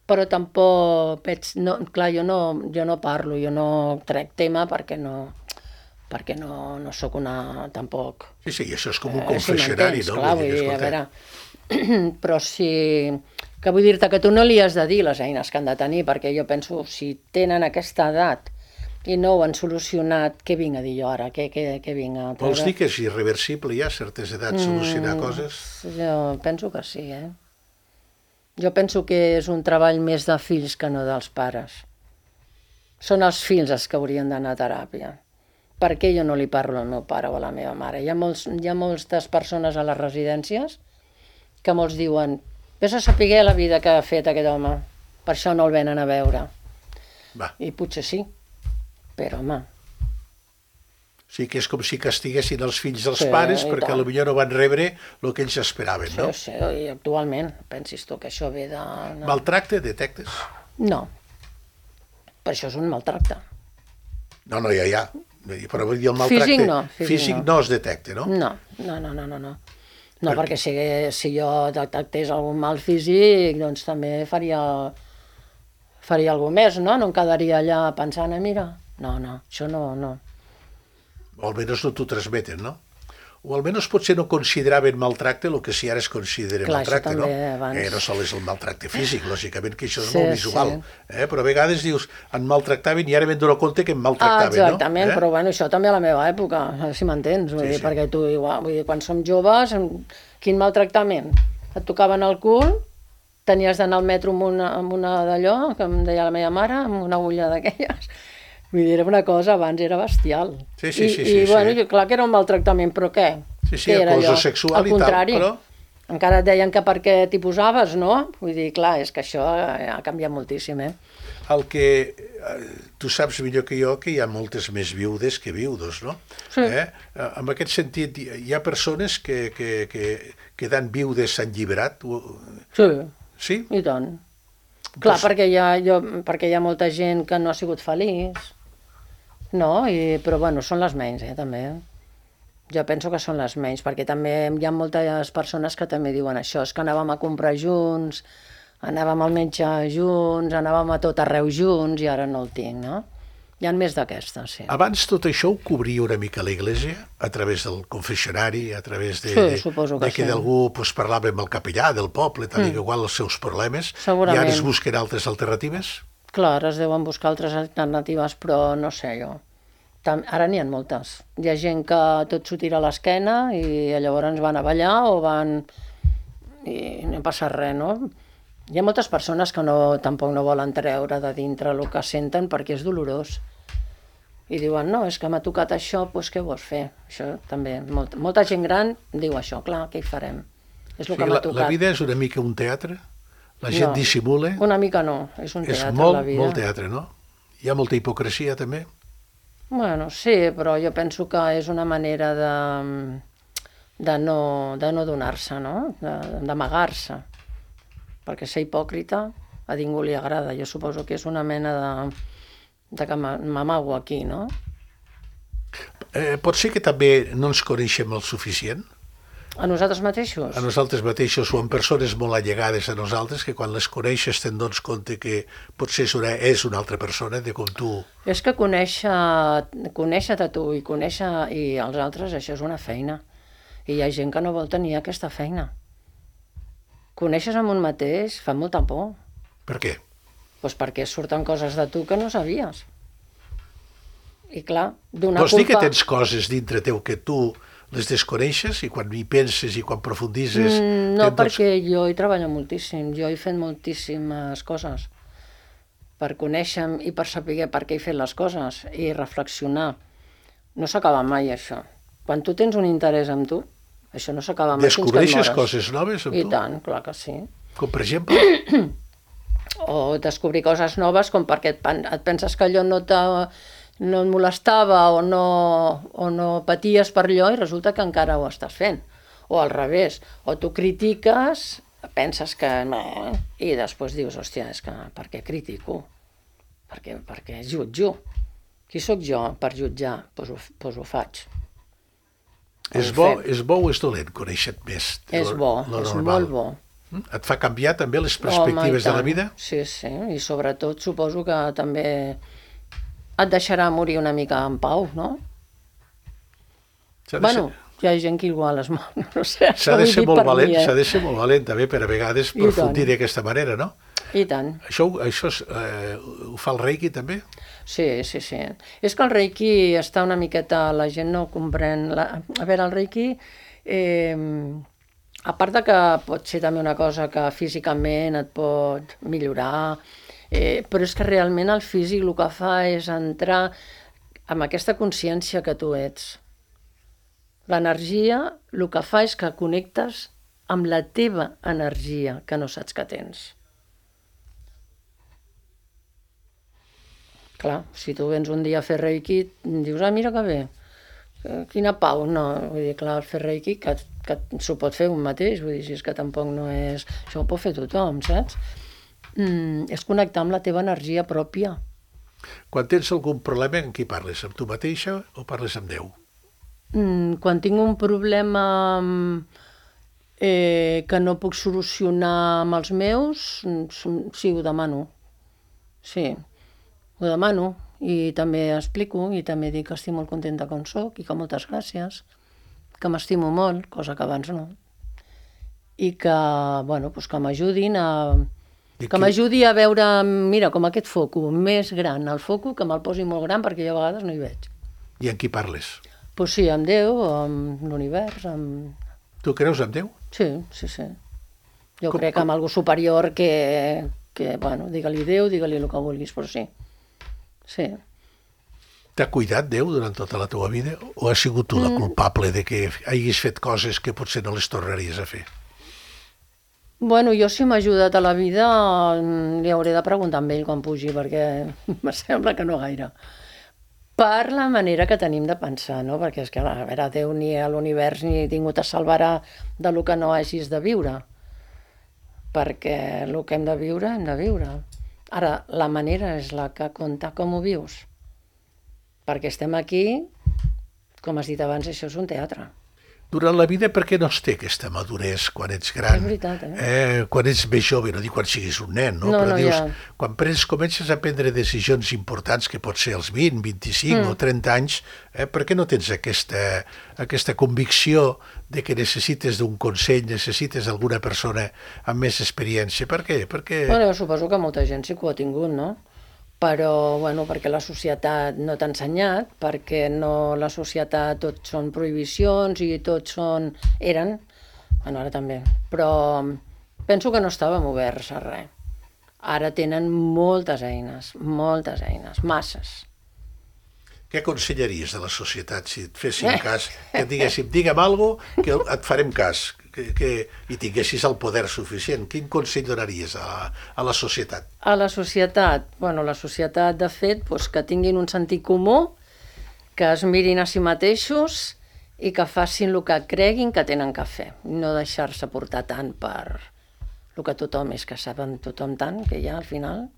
Però tampoc veig... No, clar, jo no parlo, jo no trec tema perquè no sóc una... tampoc...
Sí, això és com un confessionari,
si
no?
Clar, vull dir, a veure... Però sí... Que vull dir-te que tu no li has de dir les eines que han de tenir, perquè jo penso, si tenen aquesta edat i no ho han solucionat, què vinc a dir jo ara? Què vinc a treure?
Vols dir que és irreversible ja a certes edats solucionar coses?
Jo penso que sí, Jo penso que és un treball més de fills que no dels pares. Són els fills els que haurien d'anar a teràpia. Per què jo no li parlo al meu pare o a la meva mare? Hi ha moltes persones a les residències que molts diuen vés a saber la vida que ha fet aquest home, per això no el venen a veure.
Va.
I potser sí, però home...
Sí que és com si castiguessin els fills dels
Sí,
pares
i
perquè
tant.
potser no van rebre el que ells esperaven, no?
Sí, i actualment, pensis tu que això ve de... No.
Maltracte, detectes?
No, per això és un maltracte.
No, ja. Però vull dir, el maltracte
Físic no,
físic no es detecta, no?
No. No, perquè si jo detectés algun mal físic, doncs també faria alguna més, no? No em quedaria allà pensant, mira, no, això no.
O almenys no t'ho transmeten, no? O almenys potser no consideraven maltracte el que si ara es considera
Clar,
maltracte,
això
no?
també abans.
No sols és el maltracte físic, lògicament que això és
Sí,
molt visual.
sí.
Però a vegades dius, em maltractaven i ara m'he donat compte que em maltractaven,
Exactament, però bueno, això també a la meva època, si m'entens, vull dir, perquè tu igual, vull dir, quan som joves, quin maltractament? Et tocaven el cul, tenies d'anar al metro amb una d'allò, que em deia la meva mare, amb una agulla d'aquelles. Vull dir, era una cosa, abans era bestial.
Sí.
I bueno, clar que era un maltractament, però què?
Sí,
Què era
acoso
allò?
sexual
Al
i tal,
contrari,
però...
encara et deien que per què t'hi posaves, no? Vull dir, clar, és que això ha canviat moltíssim,
El que tu saps millor que jo que hi ha moltes més viudes que viudos, no?
Sí.
En aquest sentit, hi ha persones que quedant viudes s'han lliberat?
Sí,
Sí?
i tant. Clar, perquè hi ha molta gent que no ha sigut feliç, no? Però bueno, són les menys, també. Jo penso que són les menys, perquè també hi ha moltes persones que també diuen això, és que anàvem a comprar junts, anàvem al metge junts, anàvem a tot arreu junts i ara no el tinc, no? Hi ha més d'aquestes, sí.
Abans tot això ho cobria una mica l'Església, a través del confessionari, a través de
suposo que
que
sí.
d'algú parlava amb el capellà del poble, tal i igual els seus problemes,
Segurament.
i ara es busquen altres alternatives?
Clar, es deuen buscar altres alternatives, però no sé jo. Ara n'hi ha moltes. Hi ha gent que tot s'ho tira a l'esquena i llavors van a ballar o van... i no passa res, no? Hi ha moltes persones que tampoc no volen treure de dintre el que senten perquè és dolorós. I diuen, no, és que m'ha tocat això, doncs què vols fer? Això també, molta gent gran diu això, clar, què hi farem? És el que m'ha tocat.
La vida és una mica un teatre? La gent dissimula?
Una mica no, és un teatre, la vida.
És molt teatre, no? Hi ha molta hipocresia, també?
Bueno, sí, però jo penso que és una manera de no donar-se, no? D'amagar-se. Perquè ser hipòcrita a ningú li agrada. Jo suposo que és una mena de que m'amago aquí, no?
Pot ser que també no ens coneixem el suficient?
A nosaltres mateixos?
A nosaltres mateixos o en persones molt allegades a nosaltres que quan les coneixes te'n dones compte que potser és una altra persona de com tu...
És que conèixer-te a tu i conèixer els altres, això és una feina. I hi ha gent que no vol tenir aquesta feina. Coneixes amb un mateix fa molta por.
Per què?
Doncs perquè surten coses de tu que no sabies. I clar, donar
Vols dir que
culpa...
tens coses dintre teu que tu les desconeixes i quan hi penses i quan profundises...
No, perquè jo hi treballo moltíssim, jo he fet moltíssimes coses per conèixer i per saber per què he fet les coses i reflexionar. No s'acaba mai, això. Quan tu tens un interès en tu, això no s'acaba mai fins que et mores.
Descobreixes coses noves amb tu?
I tant, clar que sí.
Com per exemple?
o descobrir coses noves com perquè et penses que allò no et molestava o no paties per allò i resulta que encara ho estàs fent. O al revés, o tu critiques, penses que no, i després dius, hòstia, és que per què critico? Per què jutjo? Qui sóc jo per jutjar? Doncs ho faig.
És bo o és dolent conèixer-te més?
És bo, és molt bo.
Et fa canviar també les perspectives de la vida?
Sí, i sobretot suposo que també et deixarà morir una mica en pau, no? Bueno, hi ha gent que igual es mor, no sé.
S'ha de ser molt valent, s'ha de ser molt valent també per a vegades profundir d'aquesta manera, no?
I tant.
Això ho fa el Reiki també?
Sí. És que el Reiki està una miqueta... La gent no comprèn... A veure, el Reiki, a part de que pot ser també una cosa que físicament et pot millorar, però és que realment el físic el que fa és entrar amb aquesta consciència que tu ets. L'energia el que fa és que connectes amb la teva energia que no saps que tens. Clar, si tu vens un dia a fer Reiki, dius, mira que bé, quina pau. No, vull dir, clar, fer Reiki, que s'ho pot fer un mateix, vull dir, si és que tampoc no és... Això ho pot fer tothom, saps? És connectar amb la teva energia pròpia.
Quan tens algun problema, amb qui parles? Amb tu mateixa o parles amb Déu?
Quan tinc un problema que no puc solucionar amb els meus, sí, ho demano. Sí. Ho demano i també explico i també dic que estic molt contenta com soc i que moltes gràcies, que m'estimo molt, cosa que abans no, i que, bueno, doncs que m'ajudin a... Que m'ajudi a veure, mira, com aquest foco, més gran, el foco, que me'l posi molt gran perquè jo a vegades no hi veig.
I amb qui parles?
Doncs sí, amb Déu, amb l'univers, amb...
Tu creus en Déu?
Sí. Jo crec amb algú superior que bueno, digue-li Déu, digue-li el que vulguis, però sí. Sí.
T'ha cuidat Déu durant tota la teva vida o has sigut tu la culpable de que hagis fet coses que potser no les tornaries a fer?
Bueno, jo si m'ha ajudat a la vida li hauré de preguntar amb ell quan pugi perquè em sembla que no gaire. Per la manera que tenim de pensar, no? Perquè és que, a veure, Déu ni a l'univers ni ningú te salvarà de lo que no hagis de viure. Perquè el que hem de viure, hem de viure. Ara, la manera és la que compta com ho vius. Perquè estem aquí, com has dit abans, això és un teatre.
Durant la vida, per què no es té aquesta maduresa quan ets gran?
És veritat,
quan ets més jove, no dic quan siguis un nen, no? Però dius, quan comences a prendre decisions importants, que pot ser als 20, 25 o 30 anys, per què no tens aquesta convicció de que necessites d'un consell, necessites alguna persona amb més experiència? Per què?
Bueno, suposo que molta gent sí que ho ha tingut, no? Però, bueno, perquè la societat no t'ha ensenyat, perquè la societat tot són prohibicions i tots eren, bueno, ara també, però penso que no estàvem oberts a res. Ara tenen moltes eines, masses.
Què aconsellaries de la societat si et fessin cas, que et diguéssim, digue'm alguna cosa que et farem cas, i tinguessis el poder suficient? Quin consell donaries a la societat?
A la societat? Bueno, la societat, de fet, doncs que tinguin un sentit comú, que es mirin a si mateixos i que facin el que creguin que tenen que fer. No deixar-se portar tant per el que tothom és, que saben tothom tant, que ja al final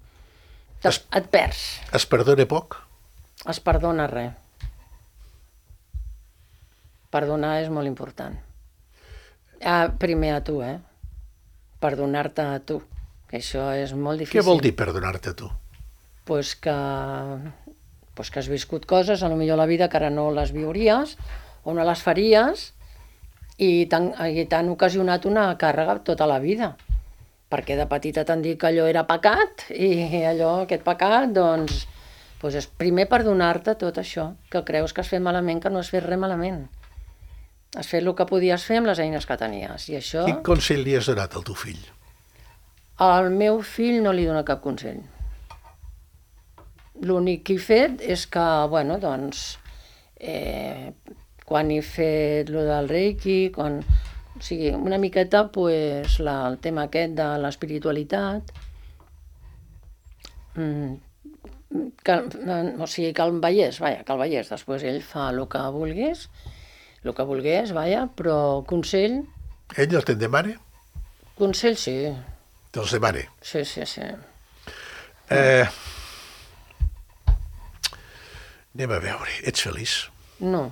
et perds.
Es perdona poc?
Es perdona res. Perdonar és molt important. Primer a tu, perdonar-te a tu, que això és molt difícil.
Què vol dir perdonar-te a tu?
Pues que has viscut coses, potser a la vida que ara no les viuries o no les faries i t'han ocasionat una càrrega tota la vida, perquè de petita t'han dit que allò era pecat i aquest pecat, doncs és primer perdonar-te tot això, que creus que has fet malament, que no has fet res malament. Has fet el que podies fer amb les eines que tenies. I això...
Quin consell li has donat al teu fill?
Al meu fill no li dono cap consell. L'únic que he fet és que, bueno, doncs, quan he fet lo del Reiki, o sigui, una miqueta, el tema aquest de l'espiritualitat, o sigui, que el veiés, després ell fa el que volgués, però consell
Ell el te'n demana?
sí.
Te'ls demana.
Sí.
Anem a veure, ets feliç?
No.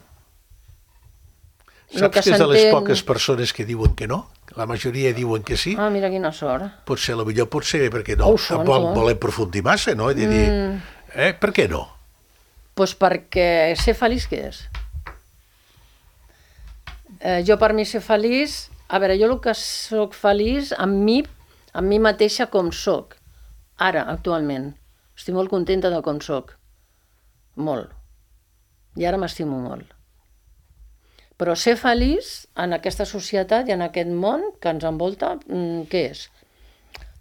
Saps que és de les poques persones que diuen que no? La majoria diuen que sí.
Ah, mira quina sort.
Potser perquè no. Tampoc volem aprofundir massa, no? De dir, per què no?
Doncs perquè ser feliç què és? Jo per mi ser feliç... A veure, jo el que soc feliç amb mi mateixa com soc. Ara, actualment. Estic molt contenta de com soc. Molt. I ara m'estimo molt. Però ser feliç en aquesta societat i en aquest món que ens envolta, què és?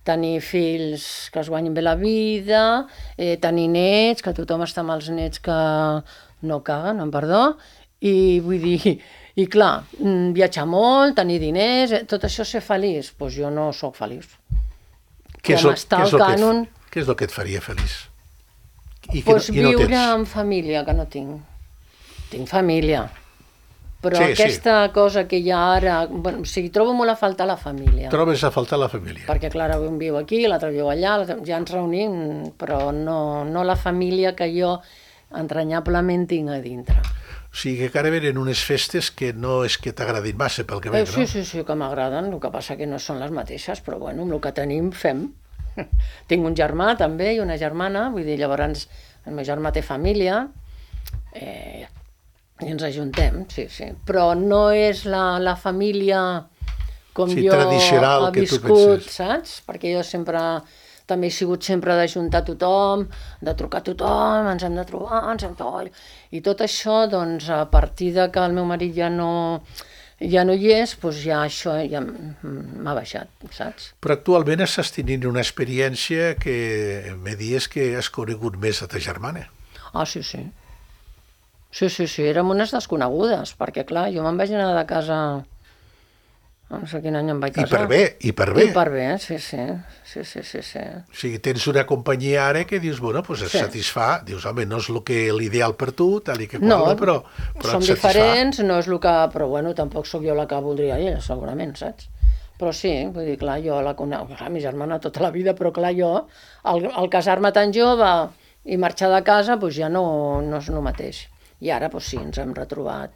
Tenir fills que es guanyin bé la vida, tenir nets, que tothom està amb els nets que no caguen, amb perdó, i vull dir, i clar, viatjar molt, tenir diners, tot això ser feliç, doncs jo no sóc feliç.
Què és el que et faria feliç?
Doncs viure en família, que no tinc. Tinc família. Però aquesta cosa que hi ha ara... O sigui, trobo molt a faltar la família.
Trobes a faltar la família?
Perquè, clar, un viu aquí, l'altre viu allà, ja ens reunim, però no la família que jo entranyablement tinc a dintre.
O sigui, que ara venen unes festes que no és que t'agradin massa, pel que veig, no?
Sí, que m'agraden, el que passa que no són les mateixes, però bueno, amb el que tenim fem. Tinc un germà també i una germana, vull dir, llavors el meu germà té família, i ens ajuntem, sí. Però no és la família com jo he viscut, saps? Perquè jo també he sigut sempre d'ajuntar tothom, de trucar a tothom, ens hem de trobar, i tot això, doncs, a partir de que el meu marit ja no hi és, doncs ja això ja m'ha baixat, saps?
Però actualment estàs tenint una experiència que me dius que has conegut més a ta germana.
Ah, sí. Sí, érem unes desconegudes, perquè clar, jo me'n vaig anar de casa, no sé quin any em vaig casar.
I per bé.
Sí.
O sigui, tens una companyia ara que dius, bueno, doncs et satisfà, dius, home, no és l'ideal per tu, tal i que qual, però et satisfà.
Som diferents, no és el que... Però bueno, tampoc sóc jo la que voldria ella, segurament, saps? Però sí, vull dir, clar, jo la conec, mi germana tota la vida, però clar, jo, al casar-me tan jove i marxar de casa, doncs ja no és el mateix. I ara, doncs sí, ens hem retrobat.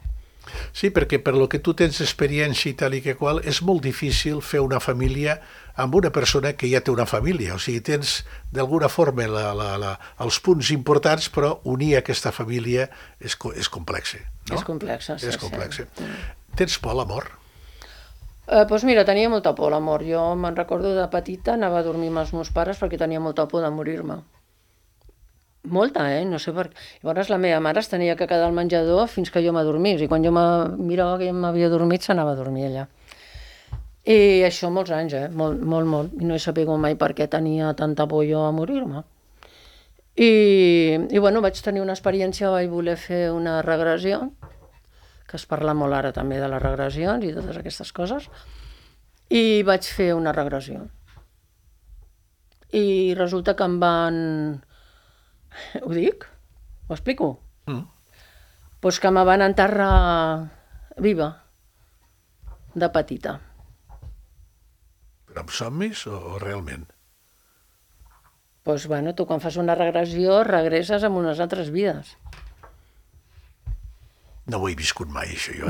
Sí, perquè per lo que tu tens experiència i tal i que qual, és molt difícil fer una família amb una persona que ja té una família. O sigui, tens d'alguna forma els punts importants, però unir aquesta família és complex, no?
És complexa, sí.
És complex. Tens por a la mort?
Doncs mira, tenia molta por a la mort. Jo me'n recordo de petita, anava a dormir amb els meus pares perquè tenia molta por de morir-me. Molta, no sé per què. Llavors la meva mare es tenia que quedar al menjador fins que jo m'adormís, i quan jo mirava que m'havia dormit, s'anava a dormir allà. I això molts anys, molt. I no he sabut mai per què tenia tanta por jo a morir-me. I bueno, vaig tenir una experiència, vaig voler fer una regressió, que es parla molt ara també de les regressions i totes aquestes coses, i vaig fer una regressió. I resulta que em van... Ho dic? Ho explico? Doncs que me van enterrar viva, de petita.
Però amb somnis o realment?
Doncs bueno, tu quan fas una regressió regresses amb unes altres vides.
No ho he viscut mai, això, jo.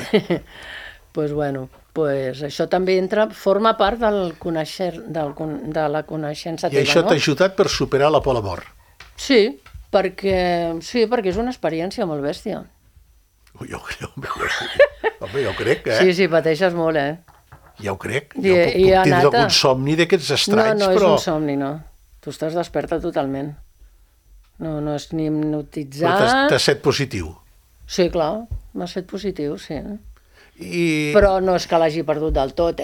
Doncs bueno, això també forma part de la coneixença teva, no?
I això t'ha ajudat per superar la por a la mort?
Sí, perquè és una experiència molt bèstia.
Home, jo crec,
Sí, pateixes molt,
Ja ho crec. Jo puc tindre algun somni d'aquests estranys,
però... No,
és
un somni, no. Tu estàs desperta totalment. No és ni hipnotitzat...
Però t'has set positiu?
Sí, clar, m'ha set positiu, sí. Però no és que l'hagi perdut del tot,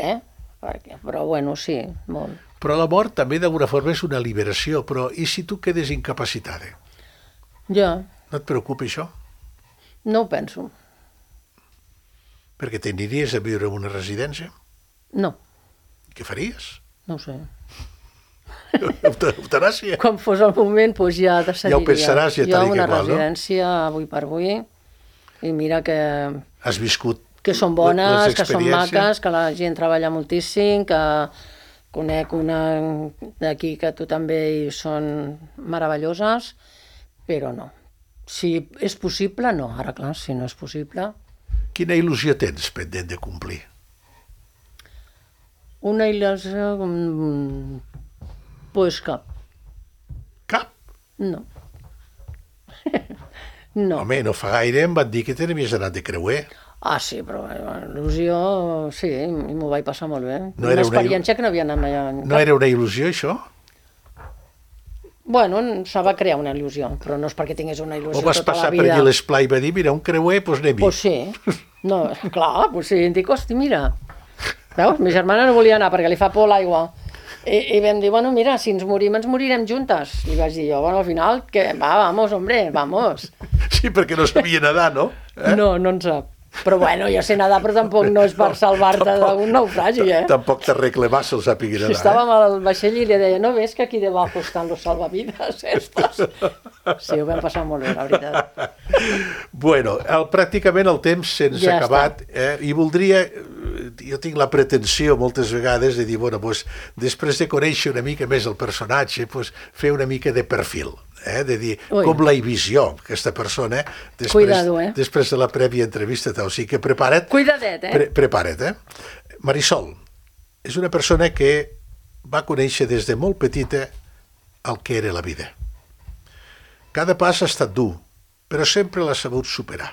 Però bueno, sí, molt.
Però la mort també d'alguna forma és una liberació, però i si tu quedes incapacitada?
Ja.
No et preocupa això?
No ho penso.
Perquè t'aniries a viure en una residència?
No.
Què faries?
No ho sé.
Eutanàsia?
Quan fos el moment, doncs ja decidiria.
Ja ho pensaràs, ja
jo
t'ha dit
una
igual, no?
residència avui per avui, i mira que
Has viscut
són
les
bones, que són
experiències?
maques, que la gent treballa moltíssim, que conec una d'aquí que tu també hi són meravelloses, però no. Si és possible, no. Ara, clar, si no és possible...
Quina il·lusió tens pendent de complir?
Una il·lusió... Pues cap.
Cap?
No. No.
Home, no fa gaire em van dir que te n'havies anat de creuer.
Ah, sí, però il·lusió... Sí, m'ho vaig passar molt bé.
No era
una experiència que no havia anat mai enlloc.
No era una il·lusió, això?
Bueno, se va crear una il·lusió, però no és perquè tingués una il·lusió
O vas
tota
passar
la
per
vida.
allí l'esplai i va dir, mira, un creuer, doncs anem-hi.
Pues sí. No, clar, pues sí. Em dic, hosti, mira. Veus, mi germana no volia anar perquè li fa por l'aigua. I vam dir, bueno, mira, si ens morim, ens morirem juntes. Li vaig dir jo, bueno, al final, que va, vamos, hombre, vamos.
Sí, perquè no sabia nedar, no?
No, no en sap. Però bueno, jo sé nedar, però tampoc no és per salvar-te d'un naufragi,
Tampoc t'arregle massa el sàpiga nedar.
Estàvem al vaixell i li deia, no ves que aquí debajo estan los salvavidas estos? Sí, ho vam passar molt bé, la veritat.
Bueno, pràcticament el temps se'ns ha acabat, i voldria, jo tinc la pretensió moltes vegades de dir, bueno, doncs, després de conèixer una mica més el personatge, doncs, fer una mica de perfil, de dir, com la visió aquesta persona, després de la prèvia entrevista, o sigui que prepara't.
Cuidadet,
Prepara't, Marisol és una persona que va conèixer des de molt petita el que era la vida. Cada pas ha estat dur, però sempre l'ha sabut superar.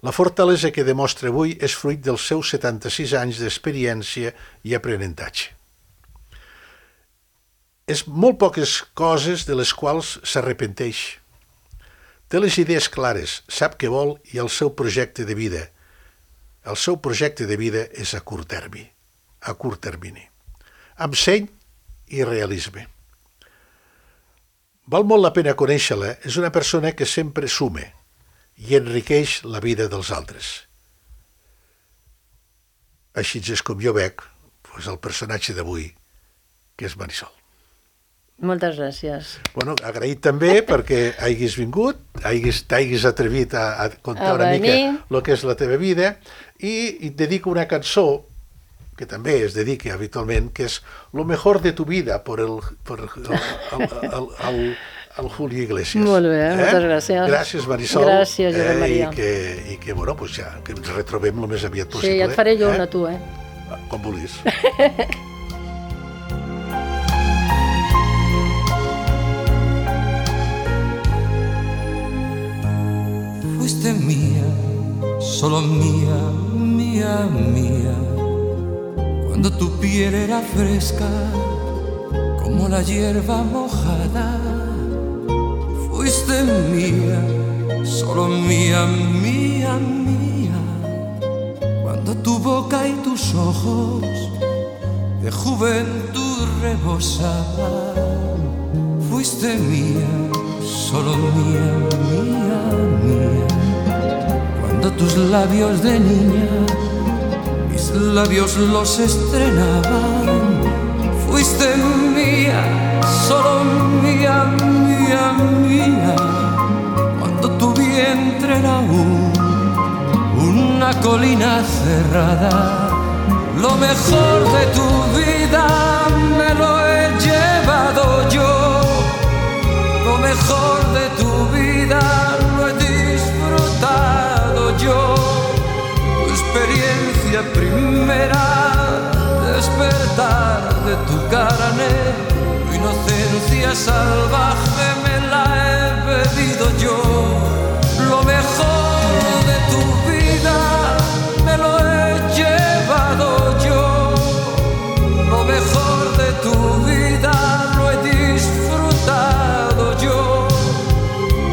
La fortalesa que demostra avui és fruit dels seus 76 anys d'experiència i aprenentatge. És molt poques coses de les quals s'arrepenteix. Té les idees clares, sap què vol i el seu projecte de vida. El seu projecte de vida és a curt termini. Amb seny i realisme. Val molt la pena conèixer-la, és una persona que sempre sume i enriqueix la vida dels altres. Així és com jo veig el personatge d'avui, que és Marisol.
Moltes gràcies.
Bueno, agraït també perquè hagis vingut, t'hagis atrevit a contar una mica el que és la teva vida, i et dedico una cançó que també es dedica habitualment, que és Lo mejor de tu vida per el Julio Iglesias.
Molt bé, moltes gràcies.
Gràcies, Marisol.
Gràcies, Josep Maria.
I que, bueno, pues ja, que ens retrobem el més aviat possible.
Sí, ja et faré jo una a tu,
Com vulguis.
Fuiste mía, solo mía, mía, mía. Cuando tu piel era fresca, como la hierba mojada. Fuiste mía, solo mía, mía, mía. Cuando tu boca y tus ojos de juventud rebosaban. Fuiste mía, solo mía, mía, mía. Cuando tus labios de niña, mis labios los estrenaban. Fuiste mía, solo mía, mía, mía. Cuando tu vientre era una colina cerrada. Lo mejor de tu vida me lo he llevado yo. Lo mejor de tu vida lo he disfrutado yo. Tu experiencia primera, despertar de tu carne. Tu inocencia salvaje me la he bebido yo. Lo mejor de tu vida me lo he llevado yo. Lo mejor de tu vida lo he disfrutado yo.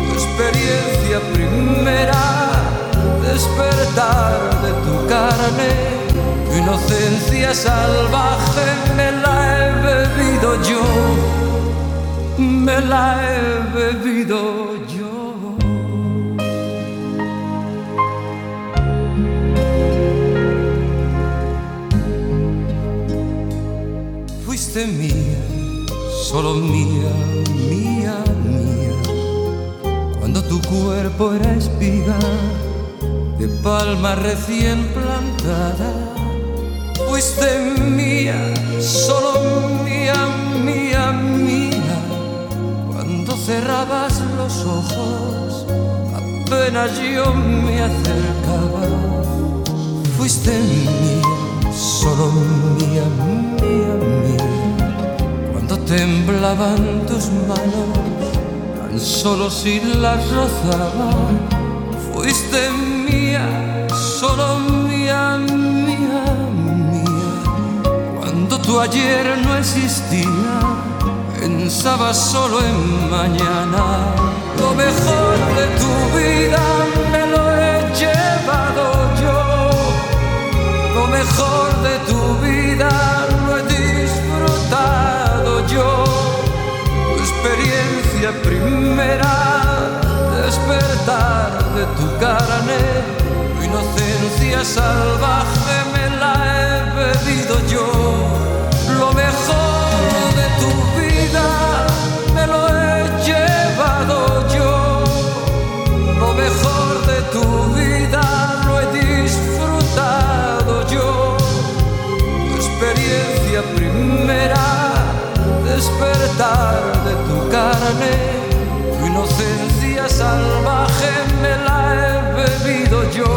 Tu experiencia primera, despertar de tu carne. Tu inocencia salvaje me la he bebido yo. Me la he bebido yo. Fuiste mía, solo mía, mía, mía. Cuando tu cuerpo era espiga de palma recién plantada, fuiste mía, solo mía, mía, mía. Cuando cerrabas los ojos, apenas yo me acercaba, fuiste mía, solo mía, mía, mía. Cuando temblaban tus manos, tan solo si las rozaba, fuiste mía, solo mía, mía, mía. Cuando tu ayer no existía, pensaba solo en mañana. Lo mejor de tu vida me lo he llevado yo. Lo mejor de tu vida lo he disfrutado yo. Tu experiencia primera, despertar de tu carne, tu inocencia salvaje me la he bebido yo. Lo mejor de tu vida me lo he llevado yo. Lo mejor de tu vida lo he disfrutado yo. Tu experiencia primera, despertar de tu carne, tu inocencia salvaje me la he bebido yo.